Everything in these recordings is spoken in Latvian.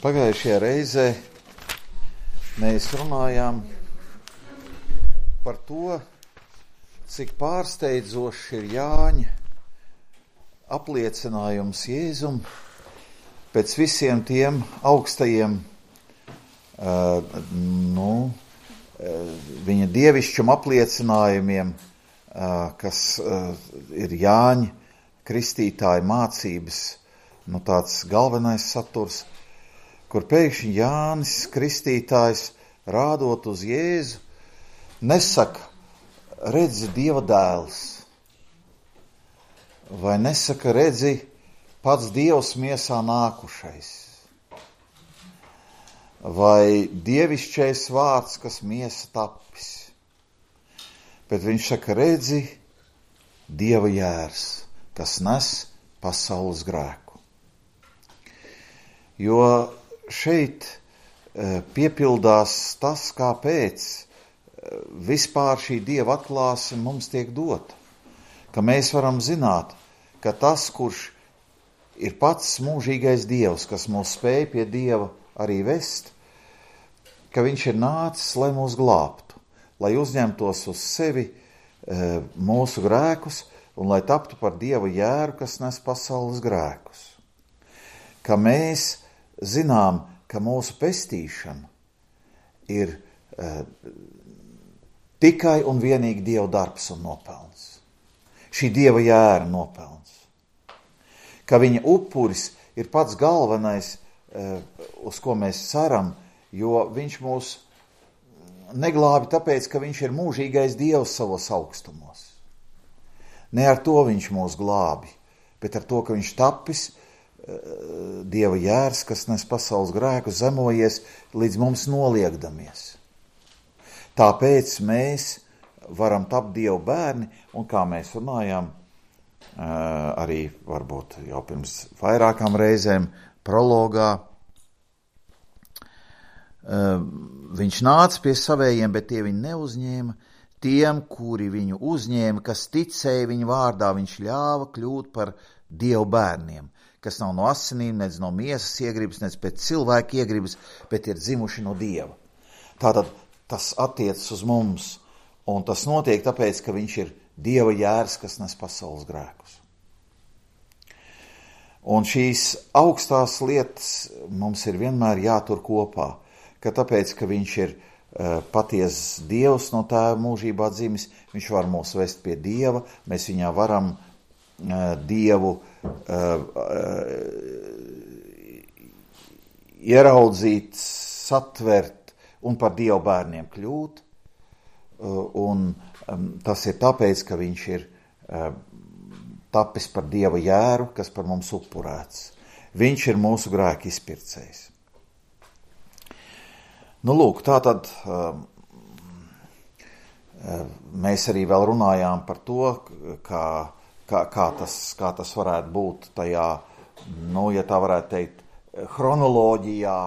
Pagājušajā reizē mēs runājām par to, cik pārsteidzošs ir Jāņa apliecinājums Jēzum pēc visiem tiem augstajiem viņa dievišķuma apliecinājumiem, kas ir Jāņa kristītāja mācības, tāds galvenais saturs, kur pēkšņi Jānis Kristītājs, rādot uz Jēzu, nesaka, redzi Dieva dēls, vai nesaka, redzi pats Dievs miesā nākušais, vai dievišķais vārds, kas miesa tapis, bet viņš saka, redzi Dieva jērs, kas nes pasaules grēku. Jo šeit piepildās tas, kāpēc vispār šī Dieva atklāsme mums tiek dota. Ka mēs varam zināt, ka tas, kurš ir pats mūžīgais Dievs, kas mūs spēj pie Dieva arī vest, ka viņš ir nācis, lai mūs glābtu, lai uzņemtos uz sevi mūsu grēkus un lai taptu par Dieva jēru, kas nes pasaules grēkus. Ka mēs zinām, ka mūsu pestīšana ir tikai un vienīgi Dieva darbs un nopelns. Šī Dieva jēra nopelns. Ka viņa upuris ir pats galvenais, uz ko mēs ceram, jo viņš mūs neglābi tāpēc, ka viņš ir mūžīgais Dievs savos augstumos. Ne ar to viņš mūs glābi, bet ar to, ka viņš tapis Dieva jērs, kas nes pasaules grēku, zemojies līdz mums noliegdamies. Tāpēc mēs varam tapt Dieva bērni, un kā mēs runājām, arī varbūt jau pirms vairākām reizēm prologā, viņš nāca pie savējiem, bet tie viņu neuzņēma. Tiem, kuri viņu uzņēma, kas ticēja viņa vārdā, viņš ļāva kļūt par Dieva bērniem, kas nav no asinīm, nec no miesas iegribas, nec pēc cilvēka iegribas, bet ir dzimuši no Dieva. Tātad tas attiecas uz mums, un tas notiek tāpēc, ka viņš ir Dieva jērs, kas nes pasaules grēkus. Un šīs augstās lietas mums ir vienmēr jātur kopā, ka tāpēc, ka viņš ir patiesas Dievs no tēva mūžībā dzimis, viņš var mūs vest pie Dieva, mēs viņā varam Dievu ieraudzīt, satvert un par Dieva bērniem kļūt. Un tas ir tāpēc, ka viņš ir tapis par Dieva jēru, kas par mums upurēts. Viņš ir mūsu grēku izpircējs. Lūk, tātad mēs arī vēl runājām par to, kā tas varētu būt tajā, ja tā varētu teikt, chronoloģijā,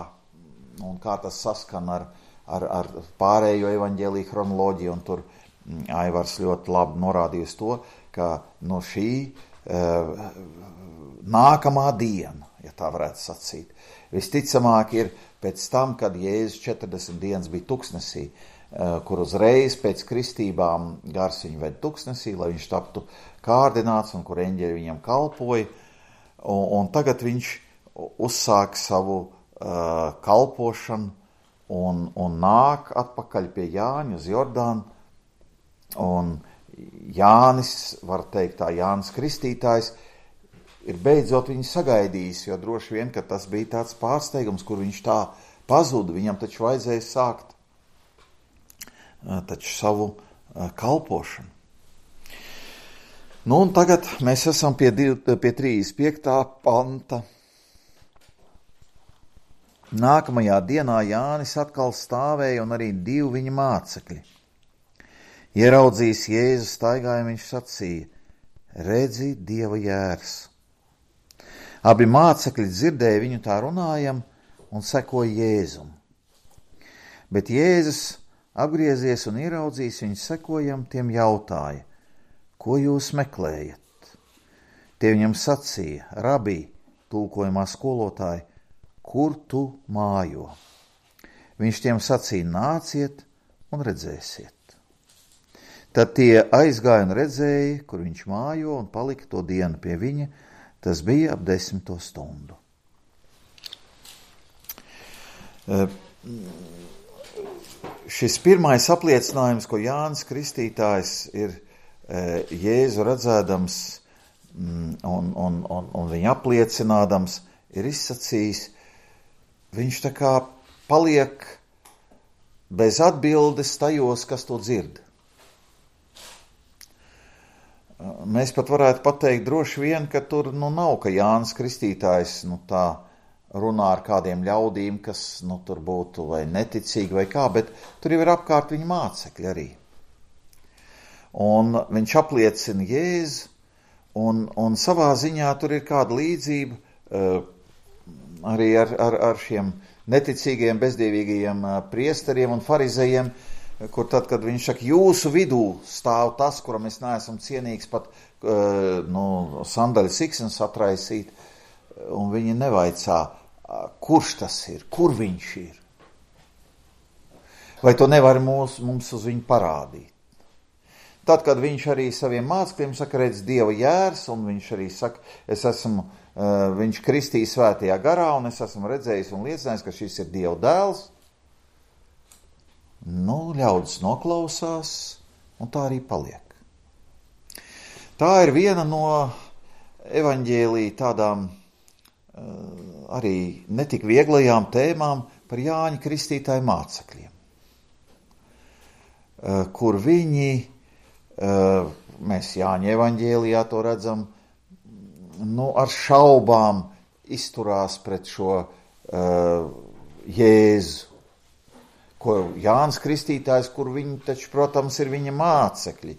un kā tas saskan ar pārējo evaņģēliju chronoloģiju, un tur Aivars ļoti labi norādījusi to, ka šī nākamā diena, ja tā varētu sacīt, visticamāk ir pēc tam, kad Jēzus 40 dienas bija tuksnesī, kur uzreiz pēc kristībām gars viņu ved tuksnesī, lai viņš taptu kārdināts un kur eņģeļi viņam kalpoja. Un tagad viņš uzsāk savu kalpošanu un nāk atpakaļ pie Jāņa uz Jordānu. Un Jānis, var teikt tā, Jānis Kristītājs, ir beidzot viņu sagaidījis, jo droši vien, ka tas bija tāds pārsteigums, kur viņš tā pazuda. Viņam taču vajadzēja sākt savu kalpošanu. Un tagad mēs esam pie 35. panta. Nākamajā dienā Jānis atkal stāvēja un arī 2 viņa mācekļi. Ieraudzījis Jēzu staigājumu, viņš sacīja, redzi Dieva jērs. Abi mācekļi dzirdēja viņu tā runājam un sekoja Jēzum. Bet Jēzus apgriezies un ieraudzījis viņu sekojam, tiem jautāja, ko jūs meklējat? Tie viņam sacīja, rabī, tulkojumā skolotāji, kur tu mājo. Viņš tiem sacīja, nāciet un redzēsiet. Tad tie aizgāja un redzēja, kur viņš mājo, un palika to dienu pie viņa. Tas bija ap 10. stundu. Šis pirmais apliecinājums, ko Jānis Kristītājs ir Jēzu redzēdams un viņu apliecinādams, ir izsacījis, viņš tā kā paliek bez atbildes tajos, kas to dzird. Mēs pat varētu pateikt droši vien, ka tur nav, ka Jānis Kristītājs tā runā ar kādiem ļaudīm, kas tur būtu vai neticīgi vai kā, bet tur jau ir apkārt viņa mācekļi arī. Un viņš apliecina Jēzu, un savā ziņā tur ir kāda līdzība arī ar šiem neticīgiem, bezdievīgajiem priesteriem un farizejiem, kur tad, kad viņš saka, jūsu vidū stāv tas, kuram es neesam cienīgs pat sandaļu siksnes atraisīt, un viņi nevaicā, kurš tas ir, kur viņš ir. Vai to nevar mums uz viņu parādīt? Tad, kad viņš arī saviem mācekļiem saka, redz Dieva jērs, un viņš arī saka, viņš kristīja svētajā garā, un es esmu redzējis un liecinājis, ka šis ir Dieva dēls, ļaudis noklausās, un tā arī paliek. Tā ir viena no evaņģēlija tādām arī netik vieglajām tēmām par Jāņa Kristītāja mācekļiem, kur viņi, mēs Jāņa evaņģēlijā to redzam, ar šaubām izturās pret šo Jēzu, ko Jānis Kristītājs, kur viņi taču, protams, ir viņa mācekļi.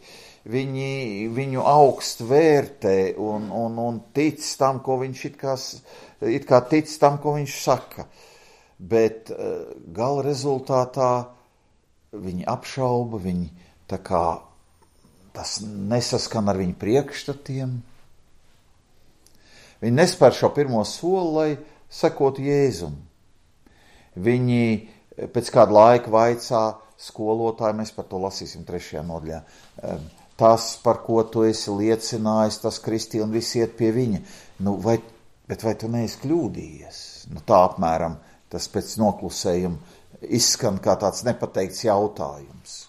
Viņi viņu augst vērtē un tic tam, ko viņš it kā tic tam, ko viņš saka. Bet gala rezultātā viņi apšauba, viņi tā kā tas nesaskan ar viņu priekšstatiem. Viņi nespēr šo pirmo soli, lai sekotu Jēzum. Viņi pēc kāda laika vaicā skolotāji, mēs par to lasīsim 3. nodaļā. Tas, par ko tu esi liecinājis, tas Kristi un visi iet pie viņa. Bet vai tu neesi kļūdījies? Tā apmēram tas pēc noklusējuma izskan kā tāds nepateikts jautājums.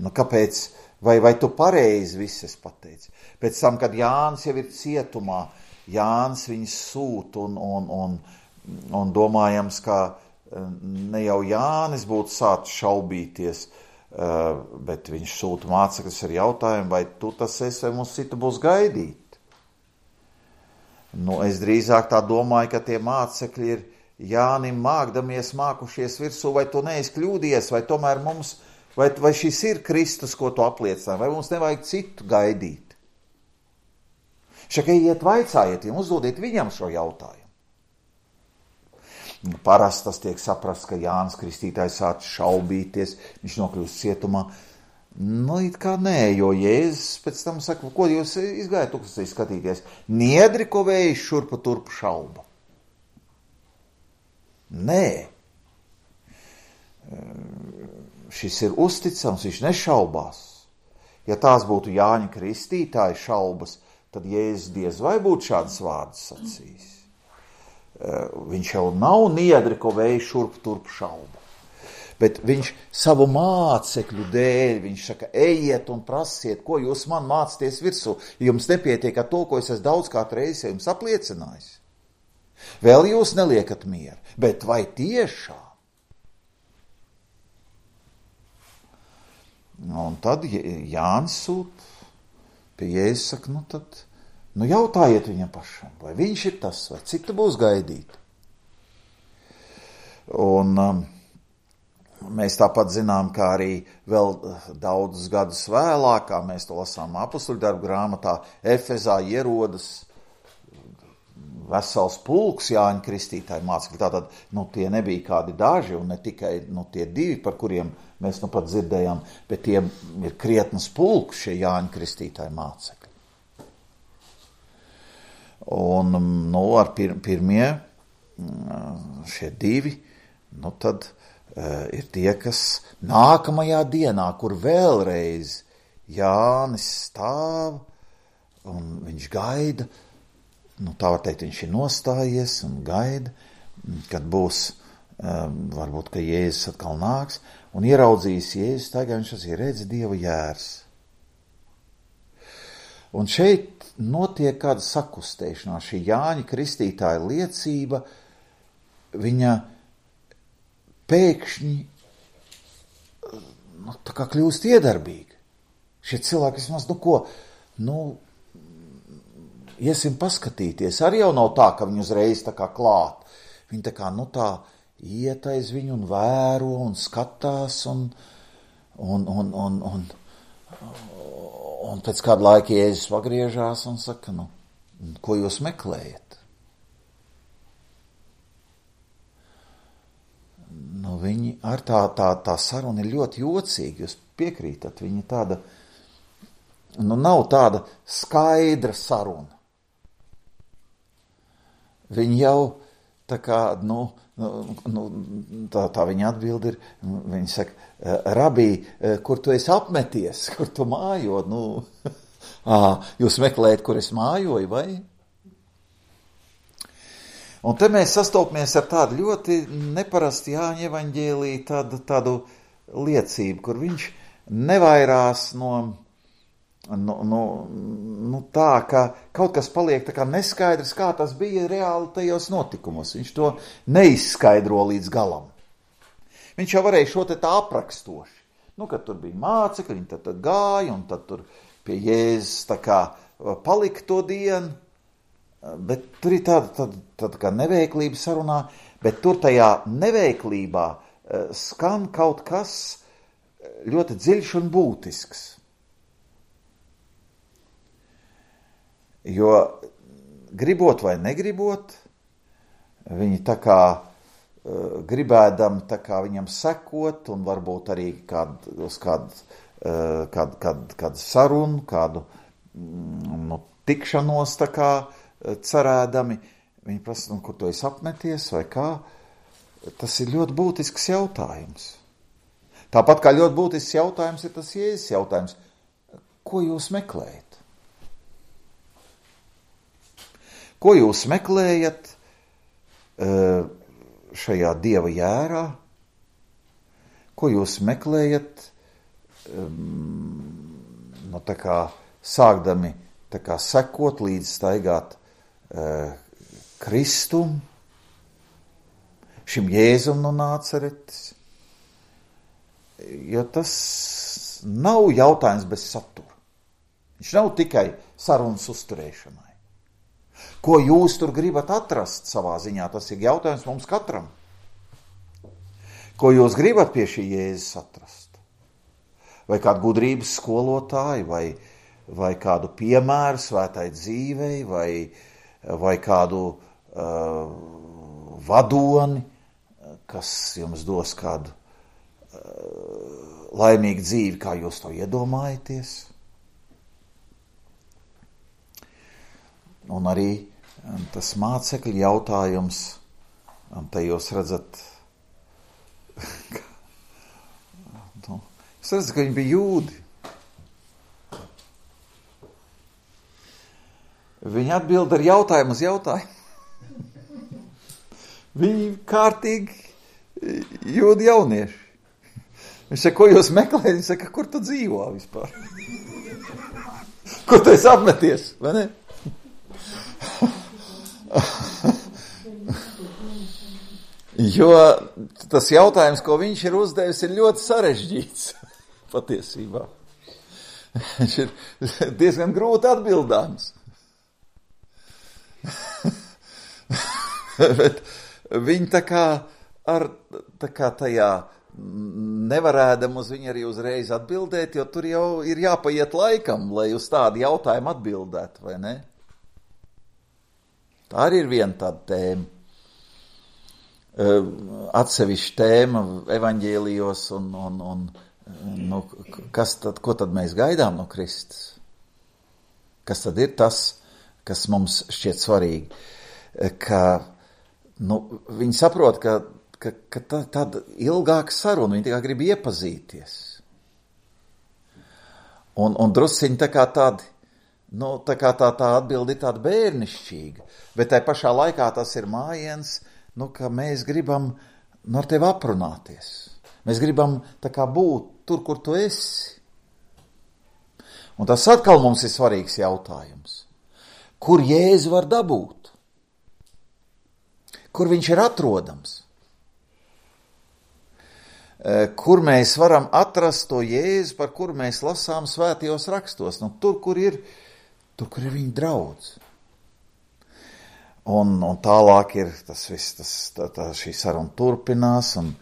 Kāpēc? Vai tu pareizi viss esi pateicis? Pēc tam, kad Jānis jau ir cietumā, Jānis viņus sūt un domājams, ka ne jau Jānis būtu sācis šaubīties, bet viņš sūta mācekļus ar jautājumu, vai tu tas esi, vai mums citu būs gaidīt. Es drīzāk tā domāju, ka tie mācekļi ir Jānim mākušies virsū, vai tu neesi kļūdies, vai tomēr mums, vai šis ir Kristus, ko tu apliecināji, vai mums nevajag citu gaidīt. Iet vaicājiet, uzdodiet viņam šo jautājumu. Parasti tas tiek saprasts, ka Jānis Kristītājs sāc šaubīties, viņš nokļūst cietumā. It kā nē, jo Jēzus pēc tam saka, ko jūs izgājat tuksnesī skatīties? Niedri, ko vējš šurpu turpu šauba. Nē. Šis ir uzticams, viņš nešaubās. Ja tās būtu Jāņa Kristītāja šaubas, tad Jēzus diez vai būtu šādas vārdas sacījis. Viņš jau nav niedri, ko vējš šurp turp šauba. Bet viņš savu mācekļu dēļ, viņš saka, ejiet un prasiet, ko jūs man mācāties virsū. Jums nepietiek ar to, ko es esmu daudzkārt reizes jums apliecinājis. Vēl jūs neliekat mieru, bet vai tiešām? Un tad Jānis sūt pie Jēzus, saka, tad jautājiet viņam pašam, vai viņš ir tas, vai cik tu būs gaidīt. Un mēs tāpat zinām, kā arī vēl daudzus gadus vēlāk, kā mēs to lasām apustuļu darbu grāmatā, Efezā ierodas vesels pulks Jāņa Kristītāja mācekļi. Tātad, tie nebija kādi daži, un ne tikai tie 2, par kuriem mēs pat dzirdējām, bet tie ir krietnas pulks šie Jāņa Kristītāja mācekļi. Un ar pirmie šie divi, nu tad ir tie, kas nākamajā dienā, kur vēlreiz Jānis stāv un viņš gaida, nu tā var teikt, viņš ir nostājies un gaida, kad būs, varbūt, ka Jēzus atkal nāks, un ieraudzījis Jēzus, tagad viņš ir redz Dieva jērs. Un šeit notiek kāda sakustēšanās, šī Jāņa Kristītāja liecība, viņa pēkšņi, nu, tā kā kļūst iedarbīga. Šie cilvēki vismaz, iesim paskatīties. Arī jau nav tā, ka viņi uzreiz tā kā klāt. Viņi tā kā, tā iet aiz viņu un vēro un skatās un pēc kāda laika Jēzus pagriežās un saka, ko jūs meklējat? Viņi ar tā saruna ir ļoti jocīga, jūs piekrītat, viņa tāda, nav tāda skaidra saruna. Viņi jau tā kā, tā viņa atbild ir, viņi saka, rabī, kur tu esi apmeties, kur tu mājo, jūs meklējat, kur es mājoju, vai? Un te mēs sastopamies ar tādu ļoti neparastu Jāņa evaņģēlī tādu liecību, kur viņš nevairās tā, ka kaut kas paliek tā kā neskaidrs, kā tas bija reāli tajos notikumos. Viņš to neizskaidro līdz galam. Viņš jau varēja šo te tā aprakstoši. Kad tur bija mācekļi, viņi tad gāja, un tad tur pie Jēzus tā kā palika to dienu, bet tur ir tāda kā neveiklība sarunā, bet tur tajā neveiklībā skan kaut kas ļoti dziļš un būtisks. Jo gribot vai negribot, viņi tā kā gribēdam tā kā viņam sekot un varbūt arī kādu sarunu, kādu tikšanos tā kā cerēdami, viņi prasa, kur tu esi apmeties vai kā, tas ir ļoti būtisks jautājums. Tāpat kā ļoti būtisks jautājums ir tas Jēzus jautājums, ko jūs meklējat? Ko jūs meklējat šajā Dieva jērā? Ko jūs meklējat, tā kā sākdami tā kā sekot līdz staigāt Kristum, šim Jēzum no Nāceretes? Jo tas nav jautājums bez satura. Viņš nav tikai sarunas uzturēšanai. Ko jūs tur gribat atrast savā ziņā, tas ir jautājums mums katram. Ko jūs gribat pie šī Jēzus atrast? Vai kādu gudrības skolotāju, vai kādu piemēru svētai dzīvei, vai kādu vadoni, kas jums dos kādu laimīgu dzīvi, kā jūs to iedomājaties? Un arī tas mācekļu jautājums, un te jūs redzat, ka viņi bija jūdi. Viņi atbild ar jautājumu uz jautājumu. Viņi kārtīgi jūdi jaunieši. Viņš saka, ko jūs meklējat? Viņš saka, kur tu dzīvo vispār? Kur tu esi apmeties, vai ne? Jo tas jautājums, ko viņš ir uzdevis, ir ļoti sarežģīts patiesībā. Viņš ir diezgan grūti atbildāms. Bet viņi tā kā tajā nevarēdam uz viņu arī uzreiz atbildēt, jo tur jau ir jāpaiet laikam, lai uz tādu jautājumu atbildētu, vai ne? Tā arī ir viena tāda tēma. Atsevišķa tēma evaņģēlijos ko tad mēs gaidām no Kristus? Kas tad ir tas, kas mums šķiet svarīgi? Ka viņi saprot, ka tāda ilgāka saruna, viņi tikai grib iepazīties. Un drusciņi tā kā tādi, tā kā tā atbildi ir tāda bērnišķīga, bet tai pašā laikā tas ir mājiens, ka mēs gribam ar tevi aprunāties. Mēs gribam tā kā būt tur, kur tu esi. Un tas atkal mums ir svarīgs jautājums. Kur Jēzu var dabūt? Kur viņš ir atrodams? Kur mēs varam atrast to Jēzu, par kuru mēs lasām svētajos rakstos? Tur, kur ir viņa draudz. Un tālāk ir tas viss, šī saruna turpinās, un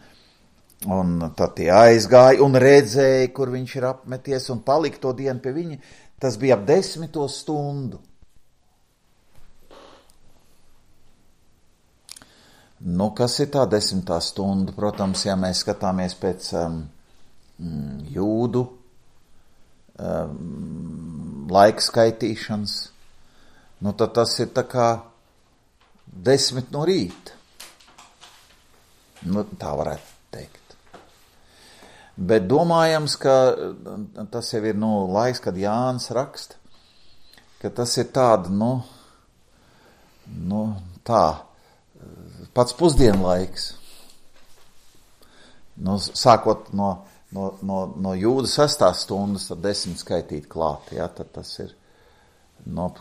tad tie aizgāja un redzēja, kur viņš ir apmeties, un palika to dienu pie viņa. Tas bija ap 10. stundu. Kas ir tā 10. stunda? Protams, ja mēs skatāmies pēc jūdu laika skaitīšanas, tad tas ir tā kā 10 no rīta. Tā varētu teikt. Bet domājams, ka tas jau ir laiks, kad Jānis raksta, ka tas ir tāda, pats pusdienlaiks. Sākot no jūda 6. stundas, tad 10 skaitīt klāt, ja, tad tas ir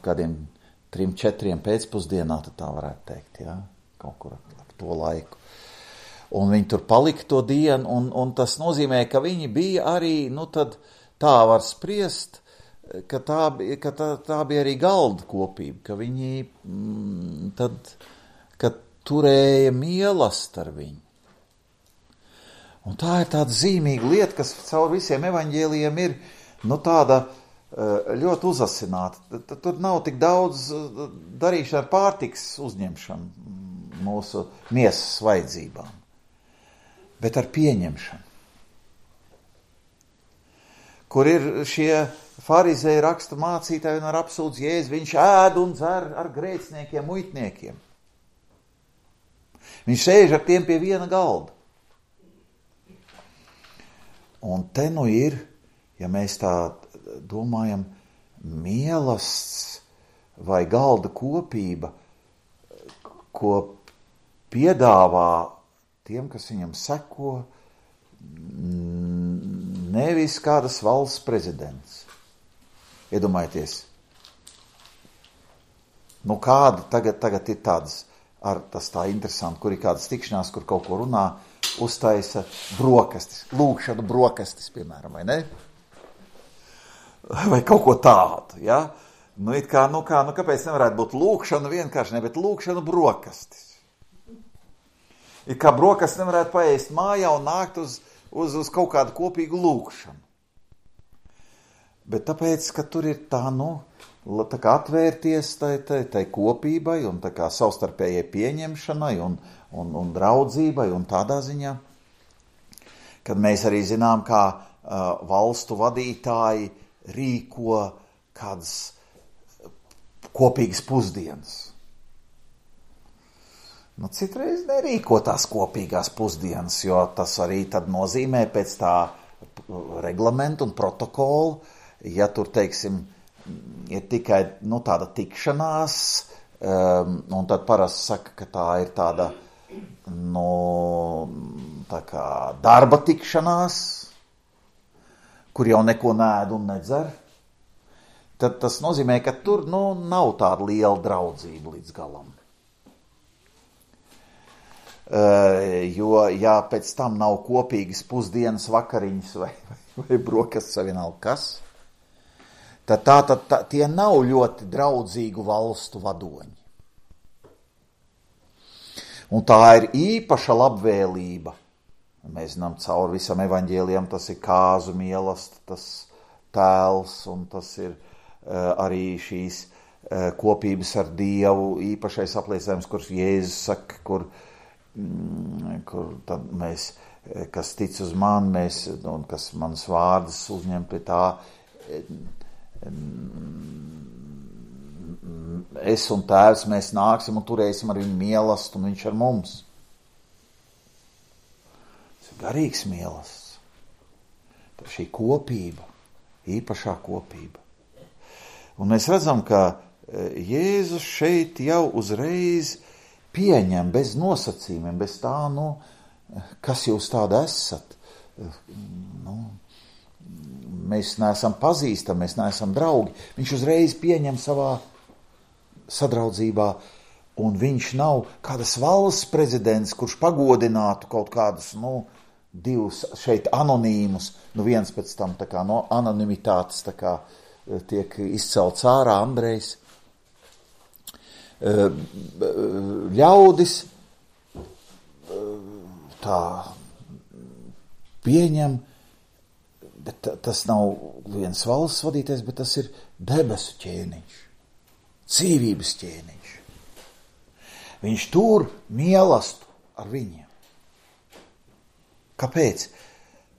kādiem 3-4 pēcpusdienā, tad tā varētu teikt, ja, kaut kur ap to laiku. Un viņi tur palika to dienu, un tas nozīmē, ka viņi bija arī, tad tā var spriest, ka tā bija arī galda kopība, ka viņi ka turēja mīlestību ar viņu. Un tā ir tāda zīmīga lieta, kas caur visiem evaņģēlijiem ir, tāda ļoti uzasināta. Tur nav tik daudz darīšana ar pārtikas uzņemšanu mūsu miesas vajadzībām, bet ar pieņemšanu. Kur ir šie farizēji raksta mācītāji un ar apsūdz Jēzu, viņš ēd un dzer ar grēciniekiem, muitniekiem. Viņš sēž ar tiem pie viena galda. Un te ir, ja mēs tā domājam, mīlestības vai galda kopība, ko piedāvā tiem, kas viņam seko, nevis kādas valsts prezidents. Iedomājieties, kāda tagad ir tādas, tas tā interesanti, kur ir kādas tikšanās, kur kaut ko runā, uztaisa brokastis, lūkšanu brokastis, piemēram, vai ne? Vai kaut ko tādu, ja? Kāpēc nevarētu būt lūkšana vienkārši, ne, bet lūkšanu brokastis. Ir kā brokastis nevarētu paēst mājā un nākt uz kaut kādu kopīgu lūkšanu. Bet tāpēc, ka tur ir tā kā atvērties tai kopībai un tā kā savstarpējai pieņemšanai un draudzībai un tādā ziņā, kad mēs arī zinām, kā valstu vadītāji rīko kādas kopīgas pusdienas. Citreiz nerīko tās kopīgās pusdienas, jo tas arī tad nozīmē pēc tā reglamentu un protokolu, ja tur, teiksim, ir tikai tāda tikšanās, un tad parasti saka, ka tā ir tāda tā kā darba tikšanās, kur jau neko nēd un nedzer, tad tas nozīmē, ka tur nav tāda liela draudzība līdz galam. Jo, ja pēc tam nav kopīgas pusdienas, vakariņas vai brokastis vai vienalga kas, tad tie nav ļoti draudzīgu valstu vadoņi. Un tā ir īpaša labvēlība. Mēs zinām, cauri visam evaņģēlijam tas ir kāzu mīlestība, tas tēls, un tas ir arī šīs kopības ar Dievu īpašais apliecinājums, kurš Jēzus saka, kur tad mēs, kas tic uz mani, un kas manas vārdas uzņem pie tā, es un tēvs, mēs nāksim un turēsim ar viņu mīlestību, un viņš ar mums. Tas ir garīgs mīlestības. Tā šī kopība, īpašā kopība. Un mēs redzam, ka Jēzus šeit jau uzreiz pieņem bez nosacījumiem, bez tā, kas jūs tāda esat. Mēs neesam pazīstami, mēs neesam draugi. Viņš uzreiz pieņem savā sadraudzībā, un viņš nav kādas valsts prezidents, kurš pagodinātu kaut kādus, divus šeit anonīmus, viens pēc tam tā kā no anonimitātes tā kā tiek izcelts ārā Andrejs. Ļaudis tā pieņem, bet tas nav viens valsts vadītājs, bet tas ir debesu ķēniņš, dzīvības ķēniņš. Viņš tur mīlestību ar viņiem. Kāpēc?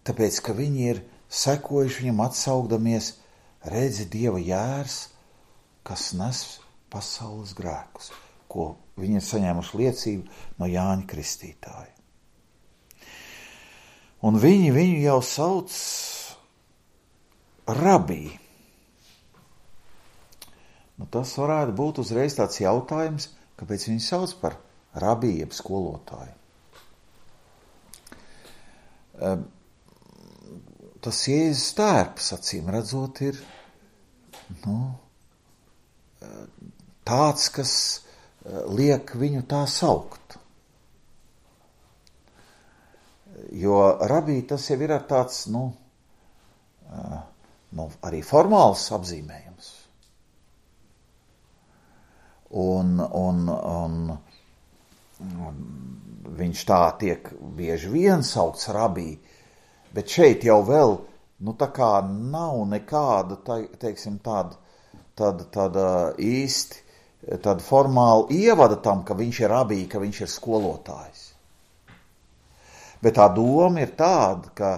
Tāpēc, ka viņi ir sekojuši viņam atsaugdamies, redzi Dieva jērs, kas nes pasaules grēkus, ko viņi ir saņēmuši liecību no Jāņa Kristītāja. Un viņi viņu jau sauc rabī. Tas varētu būt uzreiz tāds jautājums, kāpēc viņu sauc par rabī, jeb skolotāju. Tas Jēzus tērps, acīm redzot, ir tāds, kas liek viņu tā saukt. Jo rabī tas jau ir tāds, arī formāls apzīmējums. Un viņš tā tiek bieži vien saukts rabī, bet šeit jau vēl, tā kā nav nekāda, teiksim, tāda īsti, tāda formāla ievada tam, ka viņš ir rabī, ka viņš ir skolotājs. Bet tā doma ir tāda, ka,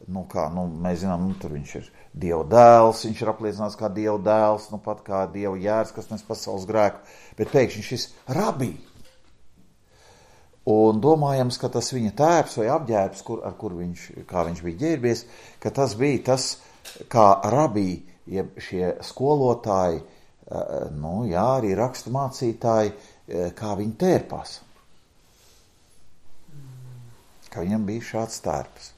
mēs zinām, tur viņš ir Dieva dēls, viņš ir apliecināts kā Dieva dēls, pat kā Dieva jērs, kas nes pasaules grēku, bet pēkšņi šis rabī. Un domājams, ka tas viņa tērps vai apģērbs, kā viņš bija ģērbies, ka tas bija tas, kā rabī, jeb šie skolotāji, arī rakstu mācītāji, kā viņi tērpās. Ka viņam bija šāds tērps.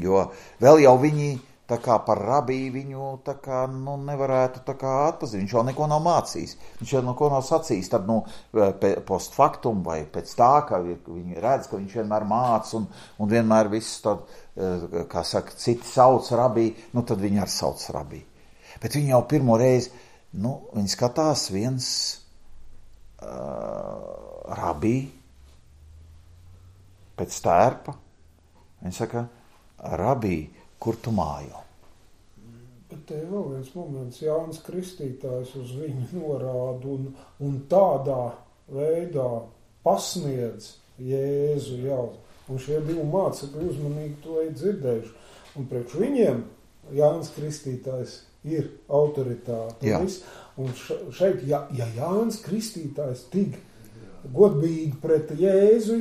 Jo vēl jau viņi tā kā par rabī viņu tā kā, nevarētu tā kā atpazīt. Viņš jau neko nav mācījis. Viņš jau neko nav sacījis. Tad, post factum vai pēc tā, ka viņi redz, ka viņš vienmēr māca un vienmēr viss tad, kā saka, citi sauc rabī, tad viņi arī sauc rabī. Bet viņi jau pirmo reizi, viņi skatās viens rabī pēc tērpa. Viņi saka, rabī, kur tu mājo? Bet te vēl viens moments, Jānis Kristītājs uz viņu norāda un tādā veidā pasniedz Jēzu jau. Un šie divi mācekļi uzmanīgi to ir dzirdējuši. Un priekš viņiem Jānis Kristītājs ir autoritāte. Un šeit, ja Jānis Kristītājs tik godbīgi pret Jēzu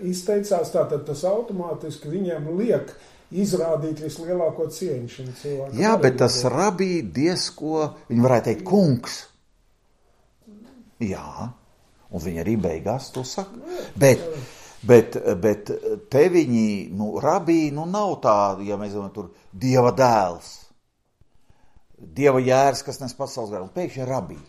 izteicās, tātad tas automātiski viņiem liek izrādīt vislielāko cieņu šim cilvēkam. Jā, bet tas rabī diezko, viņi varētu teikt, kungs. Jā, un viņi arī beigās to saka. Bet te viņi, rabī, nav tā, ja mēs domājam, tur Dieva dēls, Dieva jērs, kas nes pasaules grēku, un pēkšņi rabī.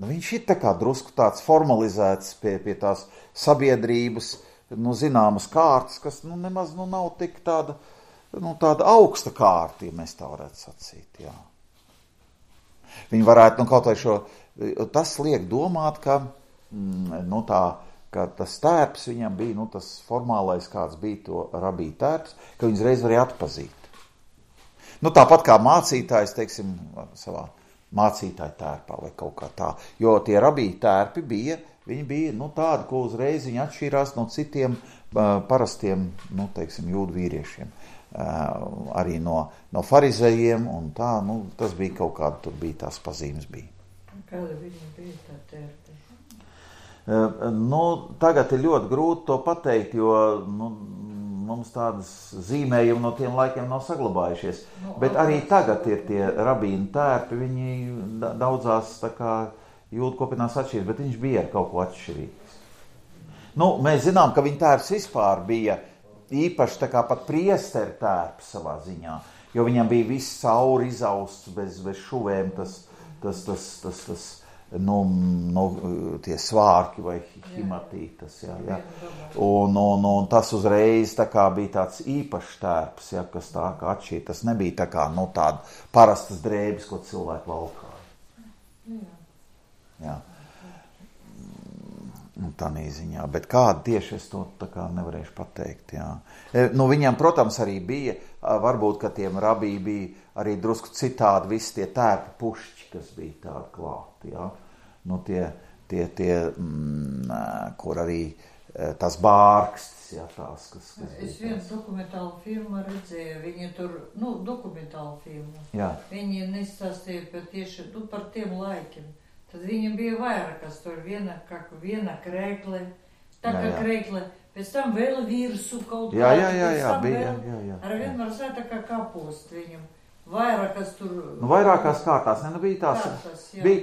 Viņš ir tā kā drusku tāds formalizēts pie tās sabiedrības, zināmas kārtas, kas nemaz nav tik tāda, tāda augsta kārta, ja mēs tā varētu sacīt, jā. Viņi varētu, kaut vai tas liek domāt, ka, ka tas tērps viņam bija, tas formālais kāds bija to rabī tērps, ka viņas reiz varēja atpazīt. Tāpat kā mācītājs, teiksim, savā mācītāja tērpā vai kaut kā tā, jo tie rabī tērpi viņi bija, tādi, ko uzreiz viņi atšķīrās no citiem parastiem, teiksim, jūdu vīriešiem, arī no farizējiem un tā, tas bija kaut kāda, tur bija tās pazīmes bija. Kāda viņa bija tā tērpe? Tagad ir ļoti grūti to pateikt, jo mums tādas zīmējumi no tiem laikiem nav saglabājušies. Bet arī tagad ir tie rabīnu tērpi, viņi daudzās tā kā jūdu kopienās atšķirības, bet viņš bija ar kaut ko atšķirīgs. Mēs zinām, ka viņa tērps vispār bija īpaši tā kā pat priesteru tērps savā ziņā, jo viņam bija viss cauri izausts bez šuvēm, tie svārki vai himatītas, jā. Un tas uzreiz tā kā bija tāds īpašs tērps, jā, kas tā kā atšķīra. Tas nebija tā kā, tāda parastas drēbes, ko cilvēki valkāja. Jā. Tādā ziņā, bet kāda tieši es to tā kā nevarēšu pateikt, jā. Viņam, protams, arī bija, varbūt, ka tiem rabī bija arī drusku citādi visi tie tērpi pušķi, kas bija tādi klāti, jā. Kur arī tas bārkstis, jā, tās, kas es vienu dokumentālu filmu redzēju, viņi tur, dokumentālu filmu. Jā. Viņi nestāstīja par tiem laikiem. Tad viņam bija vairākas, tur viena krēkle, krēkle, pēc tam vēl virsū kaut kā. Jā, bija. Ar vien var sēt tā kā kapost viņam. Vairākas tur... Vairākās kārtās, bija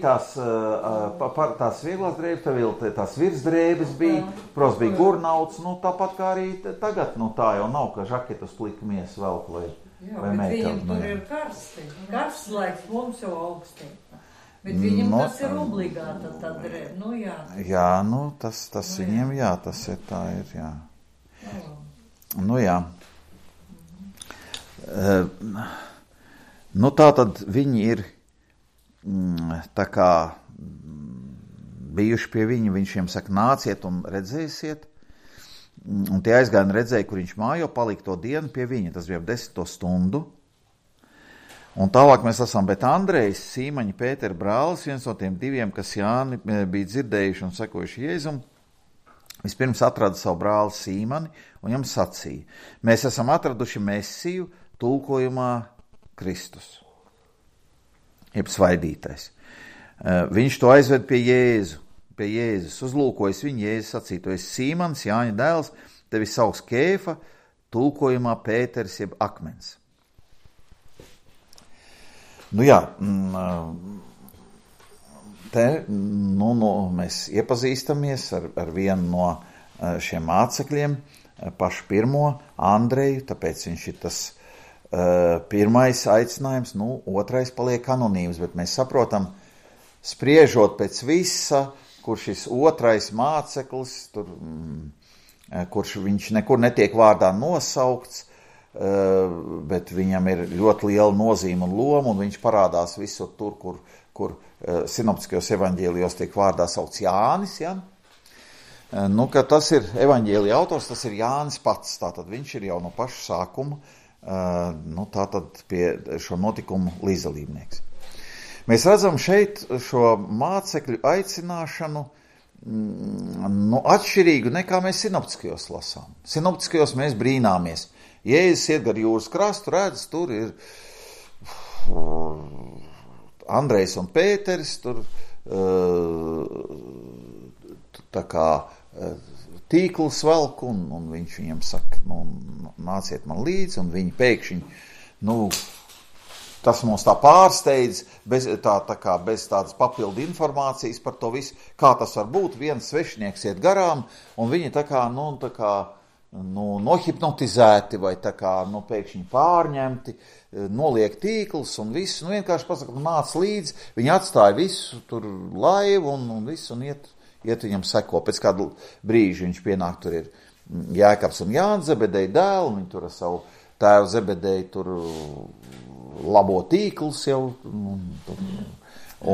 tās vieglās drēbes, tās virsdrēbes bija, protams, bija gurnauts, tāpat kā arī tagad, tā jau nav, ka žaketus plikamies velk vai meitām. Jā, bet viņam tur ir karsti. Karsts laiks mums jau augstī. Bet viņam tas ir obligāta tā drēbe, jā. Jā, tas viņiem, jā, tas ir tā ir, jā. Jā. Tā tad viņi ir tā kā bijuši pie viņa, viņš viņiem saka, nāciet un redzēsiet, un tie aizgāja redzēja, kur viņš mājo, palika to dienu pie viņa, tas bija ap 10 stundu, un tālāk mēs esam, bet Andrejs, Sīmaņa, Pētera brālis, viens no tiem diviem, kas Jāni bija dzirdējuši un sekojuši Jēzum, vispirms atrada savu brāli Sīmani, un viņam sacīja, mēs esam atraduši Mesiju, tulkojumā Kristus, jeb svaidītais. Viņš to aizved pie Jēzus, uzlūkojas viņu, Jēzus sacīja, tu esi Sīmans, Jāņa dēls, tevi sauks Kēfa, tulkojumā Pēteris, jeb akmens. Te mēs iepazīstamies ar vienu no šiem mācekļiem, pašu pirmo, Andreju, tāpēc viņš ir tas pirmais aicinājums, otrais paliek anonīms, bet mēs saprotam, spriežot pēc visa, kur šis otrais māceklis, kurš viņš nekur netiek vārdā nosaukts, bet viņam ir ļoti liela nozīme un loma, un viņš parādās visur tur, kur sinoptiskajos evaņģēlijos tiek vārdā saukts Jānis, ja? Ka tas ir evaņģēlija autors, tas ir Jānis pats, tātad viņš ir jau no paša sākuma, tātad pie šo notikumu līdzdalībnieks. Mēs redzam šeit šo mācekļu aicināšanu atšķirīgu nekā mēs sinoptiskajos lasām. Sinoptiskajos mēs brīnāmies. Jēzus iet gar jūras krastu, redz, tur ir Andrejs un Pēteris, tur tā kā tīkls velk, un viņš viņam saka, nāciet man līdzi, un viņi pēkšņi, tas mums tā pārsteidz, bez tādas papildu informācijas par to visu, kā tas var būt, viens svešinieks iet garām, un viņi nohipnotizēti vai pēkšņi pārņemti, noliek tīklus un visu, vienkārši pasaka, nāc līdzi, viņi atstāja visu, tur laivu un visu, un iet viņam seko. Pēc kādu brīžu viņš pienāk, tur ir Jēkabs un Jānis Zebedeja dēli, viņi tur ar savu tēvu Zebedeju tur labo tīklus jau,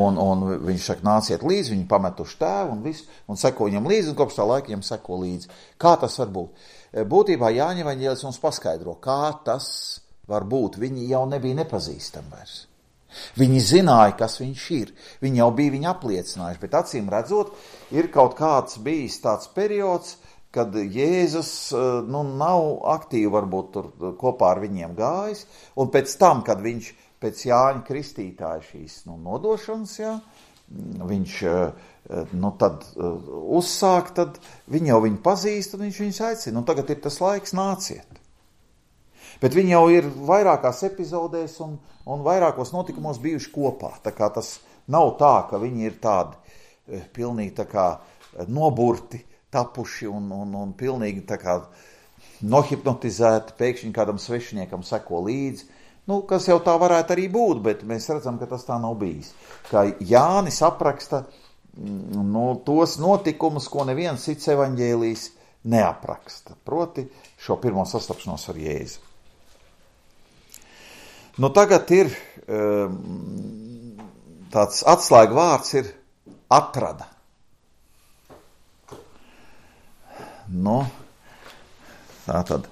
un viņš saka, nāciet līdzi, viņi pametuši tēvu un visu, un seko viņam līdzi, un kopš tā laika viņam seko līdzi. Kā tas var būt? Būtībā Jāņa evaņģēlis mums paskaidro, kā tas var būt. Viņi jau nebija nepazīstami vairs. Viņi zināja, kas viņš ir. Viņi jau bija viņu apliecinājuši, bet acīm redzot, ir kaut kāds bijis tāds periods, kad Jēzus nav aktīvi varbūt tur kopā ar viņiem gājis, un pēc tam, kad viņš pēc Jāņa Kristītāja šīs nodošanas, viņš tad uzsāk, tad viņi jau viņu pazīst, un viņš viņus aicina. Tagad ir tas laiks, nāciet. Bet viņi jau ir vairākās epizodēs un vairākos notikumos bijuši kopā. Tā kā tas nav tā, ka viņi ir tādi pilnīgi tā kā noburti, tapuši un pilnīgi tā kā nohipnotizēti, pēkšņi kādam svešiniekam seko līdzi. Kas jau tā varētu arī būt, bet mēs redzam, ka tas tā nav bijis. Kā Jānis apraksta tos notikumus, ko neviens cits evaņģēlijs neapraksta. Proti šo pirmo sastapšanos ar Jēzu. Tagad ir tāds atslēga vārds ir atrada. Tātad.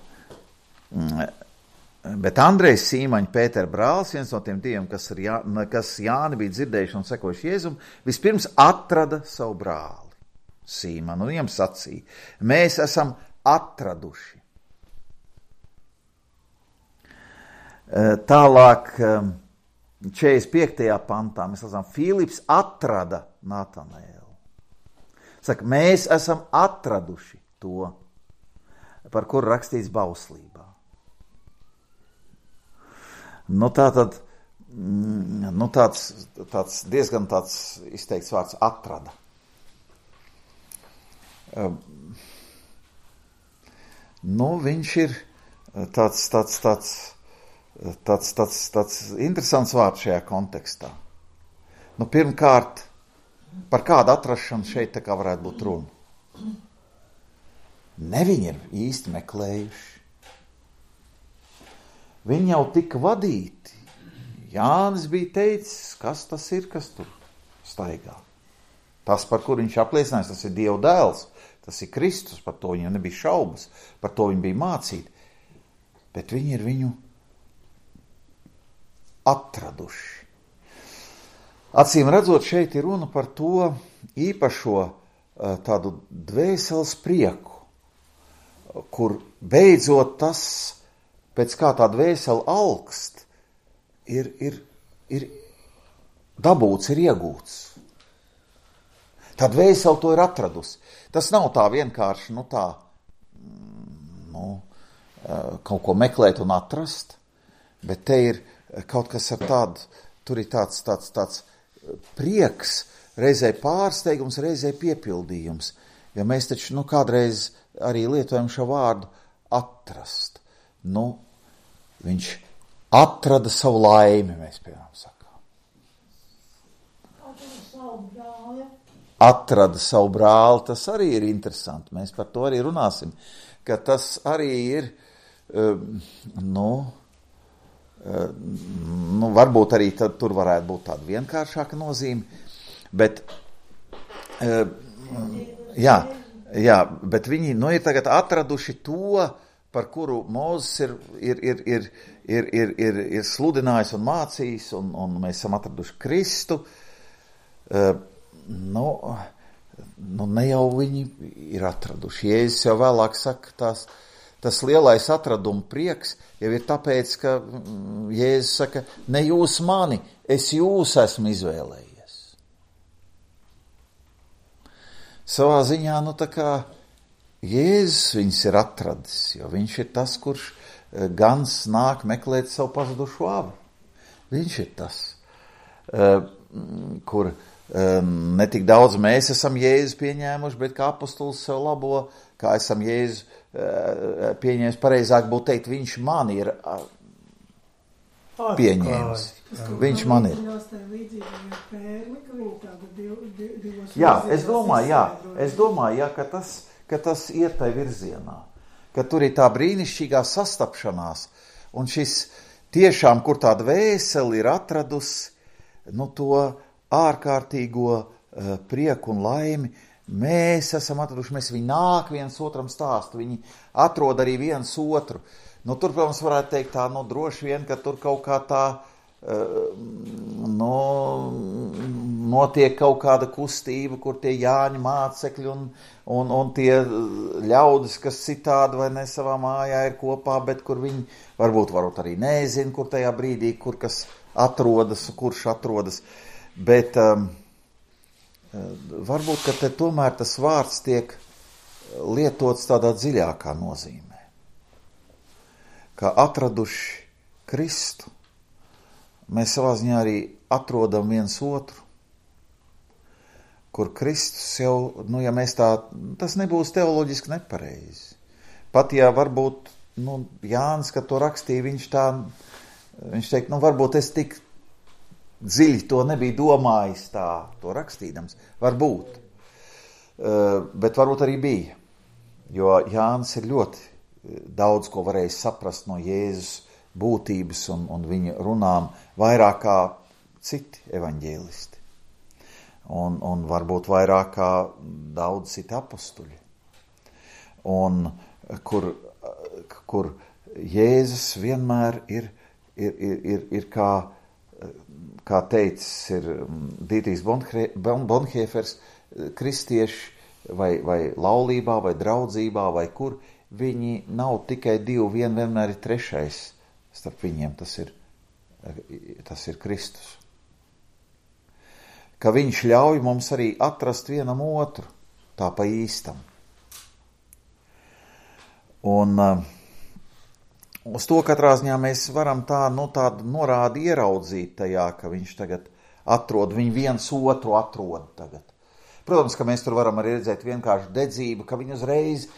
Bet Andrejs Sīmaņa, Pētera brālis, viens no tiem diviem, kas Jāni bija dzirdējuši un sekojuši Jēzum, vispirms atrada savu brāli Sīmanu, un viņam sacīja, mēs esam atraduši. Tālāk 45. pantā mēs lasām, Filips atrada Natanēlu. Saka, mēs esam atraduši to, par kuru rakstīts bauslībā. Tātad, tāds diezgan tāds izteikts vārds atrada. Viņš ir tāds interesants vārds šajā kontekstā. Pirmkārt, par kādu atrašanu šeit tā kā varētu būt runa. Ne viņi ir īsti meklējuši. Viņi jau tika vadīti. Jānis bija teicis, kas tas ir, kas tur staigā. Tas, par kur viņš apliecinājis, tas ir Dieva dēls, tas ir Kristus, par to viņam nebija šaubas, par to viņi bija mācīti. Bet viņi ir viņu atraduši. Acīm redzot, šeit ir runa par to īpašo tādu dvēseles prieku, kur beidzot tas, pēc kā tā dvēsele alkst, ir dabūts, ir iegūts. Tā dvēsele to ir atradusi. Tas nav tā vienkārši, kaut ko meklēt un atrast, bet te ir kaut kas ar tādu, tur ir tāds prieks, reizē pārsteigums, reizē piepildījums. Ja mēs taču, kādreiz arī lietojam šo vārdu atrast. Viņš atrada savu laimi, mēs piemēram sakām. Atrada savu brāli, tas arī ir interesanti. Mēs par to arī runāsim, ka tas arī ir, varbūt arī tur varētu būt tāda vienkāršāka nozīme, bet, bet viņi, ir tagad atraduši to, par kuru Mūzes ir sludinājis un mācījis, un mēs esam atraduši Kristu. Ne jau viņi ir atraduši. Jēzus jau vēlāk saka, tas lielais atraduma prieks jau ir tāpēc, ka Jēzus saka, ne jūs mani, es jūs esmu izvēlējies. Savā ziņā, tā kā Jēzus viņus ir atradis, jo viņš ir tas, kurš gans nāk meklēt savu pazudušo avi. Viņš ir tas, kur ne tik daudz mēs esam Jēzu pieņēmuši, bet kā apostols sev labo, kā esam Jēzu pieņēmis, pareizāk būtu teikt, viņš man ir pieņēmis. Viņš man ir. Jā, es domāju, ka tas iet tai virzienā, ka tur ir tā brīnišķīgā sastapšanās, un šis tiešām, kur tā dvēseli ir atradusi, to ārkārtīgo prieku un laimi, mēs esam atraduši, viņi nāk viens otram stāstu, viņi atrod arī viens otru. Tur, protams, varētu teikt tā, droši vien, ka tur kaut kā tā, notiek kaut kāda kustība, kur tie Jāņa mācekļi un tie ļaudis, kas citādi vai ne savā mājā ir kopā, bet kur viņi varbūt arī nezina, kur tajā brīdī, kur kas atrodas, kurš atrodas. Bet varbūt, ka te tomēr tas vārds tiek lietots tādā dziļākā nozīmē. Kā atraduši Kristu, mēs savā ziņā arī atrodam viens otru, kur Kristus jau, ja mēs tas nebūs teoloģiski nepareizi. Pat ja varbūt, Jānis, kad to rakstīja, viņš teikt, varbūt es tik dziļi to nebija domājis to rakstīdams. Varbūt. Bet varbūt arī bija. Jo Jānis ir ļoti daudz ko varējis saprast no Jēzus būtības un viņa runām vairāk kā citi evaņģēlisti. Un varbūt vairāk kā daudz citi apostuļi. Un kur Jēzus vienmēr ir kā teicis, ir Dītrijs Bonhoeffers, kristieši vai laulībā, vai draudzībā, vai kur, viņi nav tikai divi, vienmēr ir trešais starp viņiem, tas ir Kristus. Ka viņš ļauj mums arī atrast vienam otru, tā pa īstam. Un uz to katrā ziņā mēs varam tādu norādi ieraudzīt tajā, ka viņš tagad atrod, viņi viens otru atrod tagad. Protams, ka mēs tur varam arī redzēt vienkārši dedzību, ka viņi uzreiz,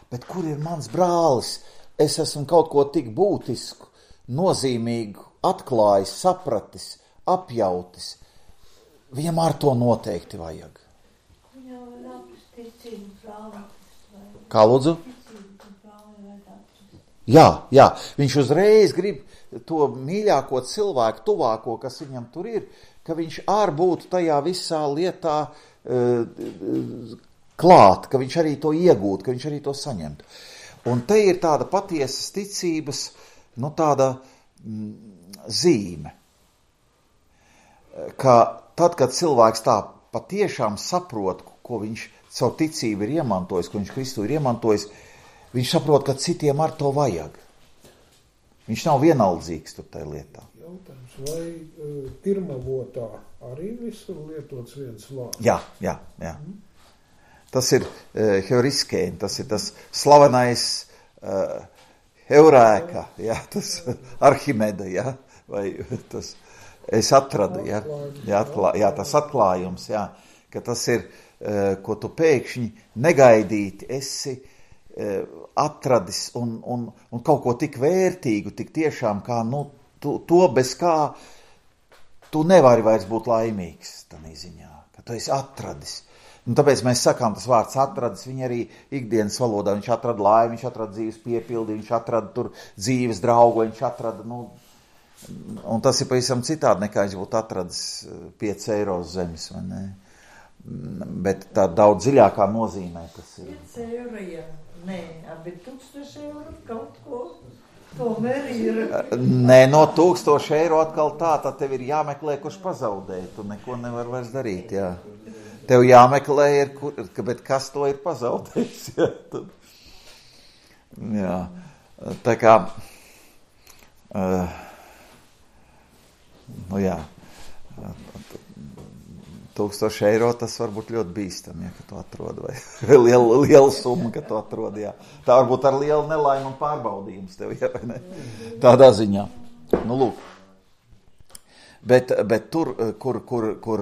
bet kur ir mans brālis? Es esmu kaut ko tik būtisku, nozīmīgu, atklājis, sapratis, apjautis. Viņam ar to noteikti vajag. Kā lūdzu? Jā, viņš uzreiz grib to mīļāko cilvēku, tuvāko, kas viņam tur ir, ka viņš būtu tajā visā lietā klāt, ka viņš arī to iegūtu, ka viņš arī to saņemtu. Un te ir tāda patiesas ticības, tāda zīme, ka tad, kad cilvēks tā patiešām saprot, ko viņš caur ticību ir iemantojis, ko viņš Kristu ir iemantojis, viņš saprot, ka citiem ar to vajag. Viņš nav vienaldzīgs tur tajā lietā. Jautājums, vai pirmavotā arī visur lietots viens vārds? Jā. Tas ir heuriskēn, tas ir tas slavenais Eurēka, tas Arhimeda, vai tas es atradu, tas atklājums, ka tas ir, ko tu pēkšņi negaidīti esi atradis un kaut ko tik vērtīgu, tik tiešām kā, to bez kā tu nevari vairs būt laimīgs tādā ziņā, ka tu esi atradis. Un tāpēc mēs sakām, tas vārds atradis, viņa arī ikdienas valodā, viņš atrada laimi, viņš atrada dzīves piepildi, viņš atrada tur dzīves draugu, viņš atrada, un tas ir pavisam citādi, nekā viņš būtu atradis 5 eiro uz zemes, vai ne? Bet tā daudz dziļākā nozīmē tas ir. 5 eiro, jā. Nē, bet 1000 eiro kaut ko tomēr ir. Nē, no 1000 eiro atkal tad tev ir jāmeklē, kurš pazaudēja, tu neko nevar vairs darīt, jā. Tev jāmeklē, bet kas to ir pazaudējis, jā. Tā kā, 1000 eiro tas var būt ļoti bīstam, ka tu atrod, vai liela summa, ka tu atrod, jā. Tā varbūt ar lielu nelaimu un pārbaudījums tev, jā, vai ne? Tādā ziņā. Lūk. Bet tur, kur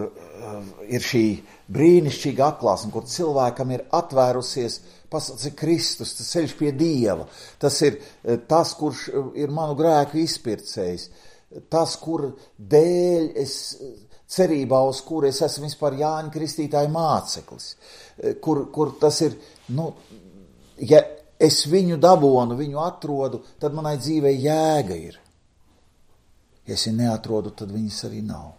ir šī brīnišķīga atklāsme, kur cilvēkam ir atvērusies pasaules Kristus, tas ceļš pie Dieva, tas ir tas, kurš ir manu grēku izpircējis, tas, kur dēļ es cerībā, uz kuru es esmu vispār Jāņa Kristītāja māceklis, kur tas ir, ja es viņu dabonu, viņu atrodu, tad manai dzīvei jēga ir. Ja es viņu neatrodu, tad viņas arī nav.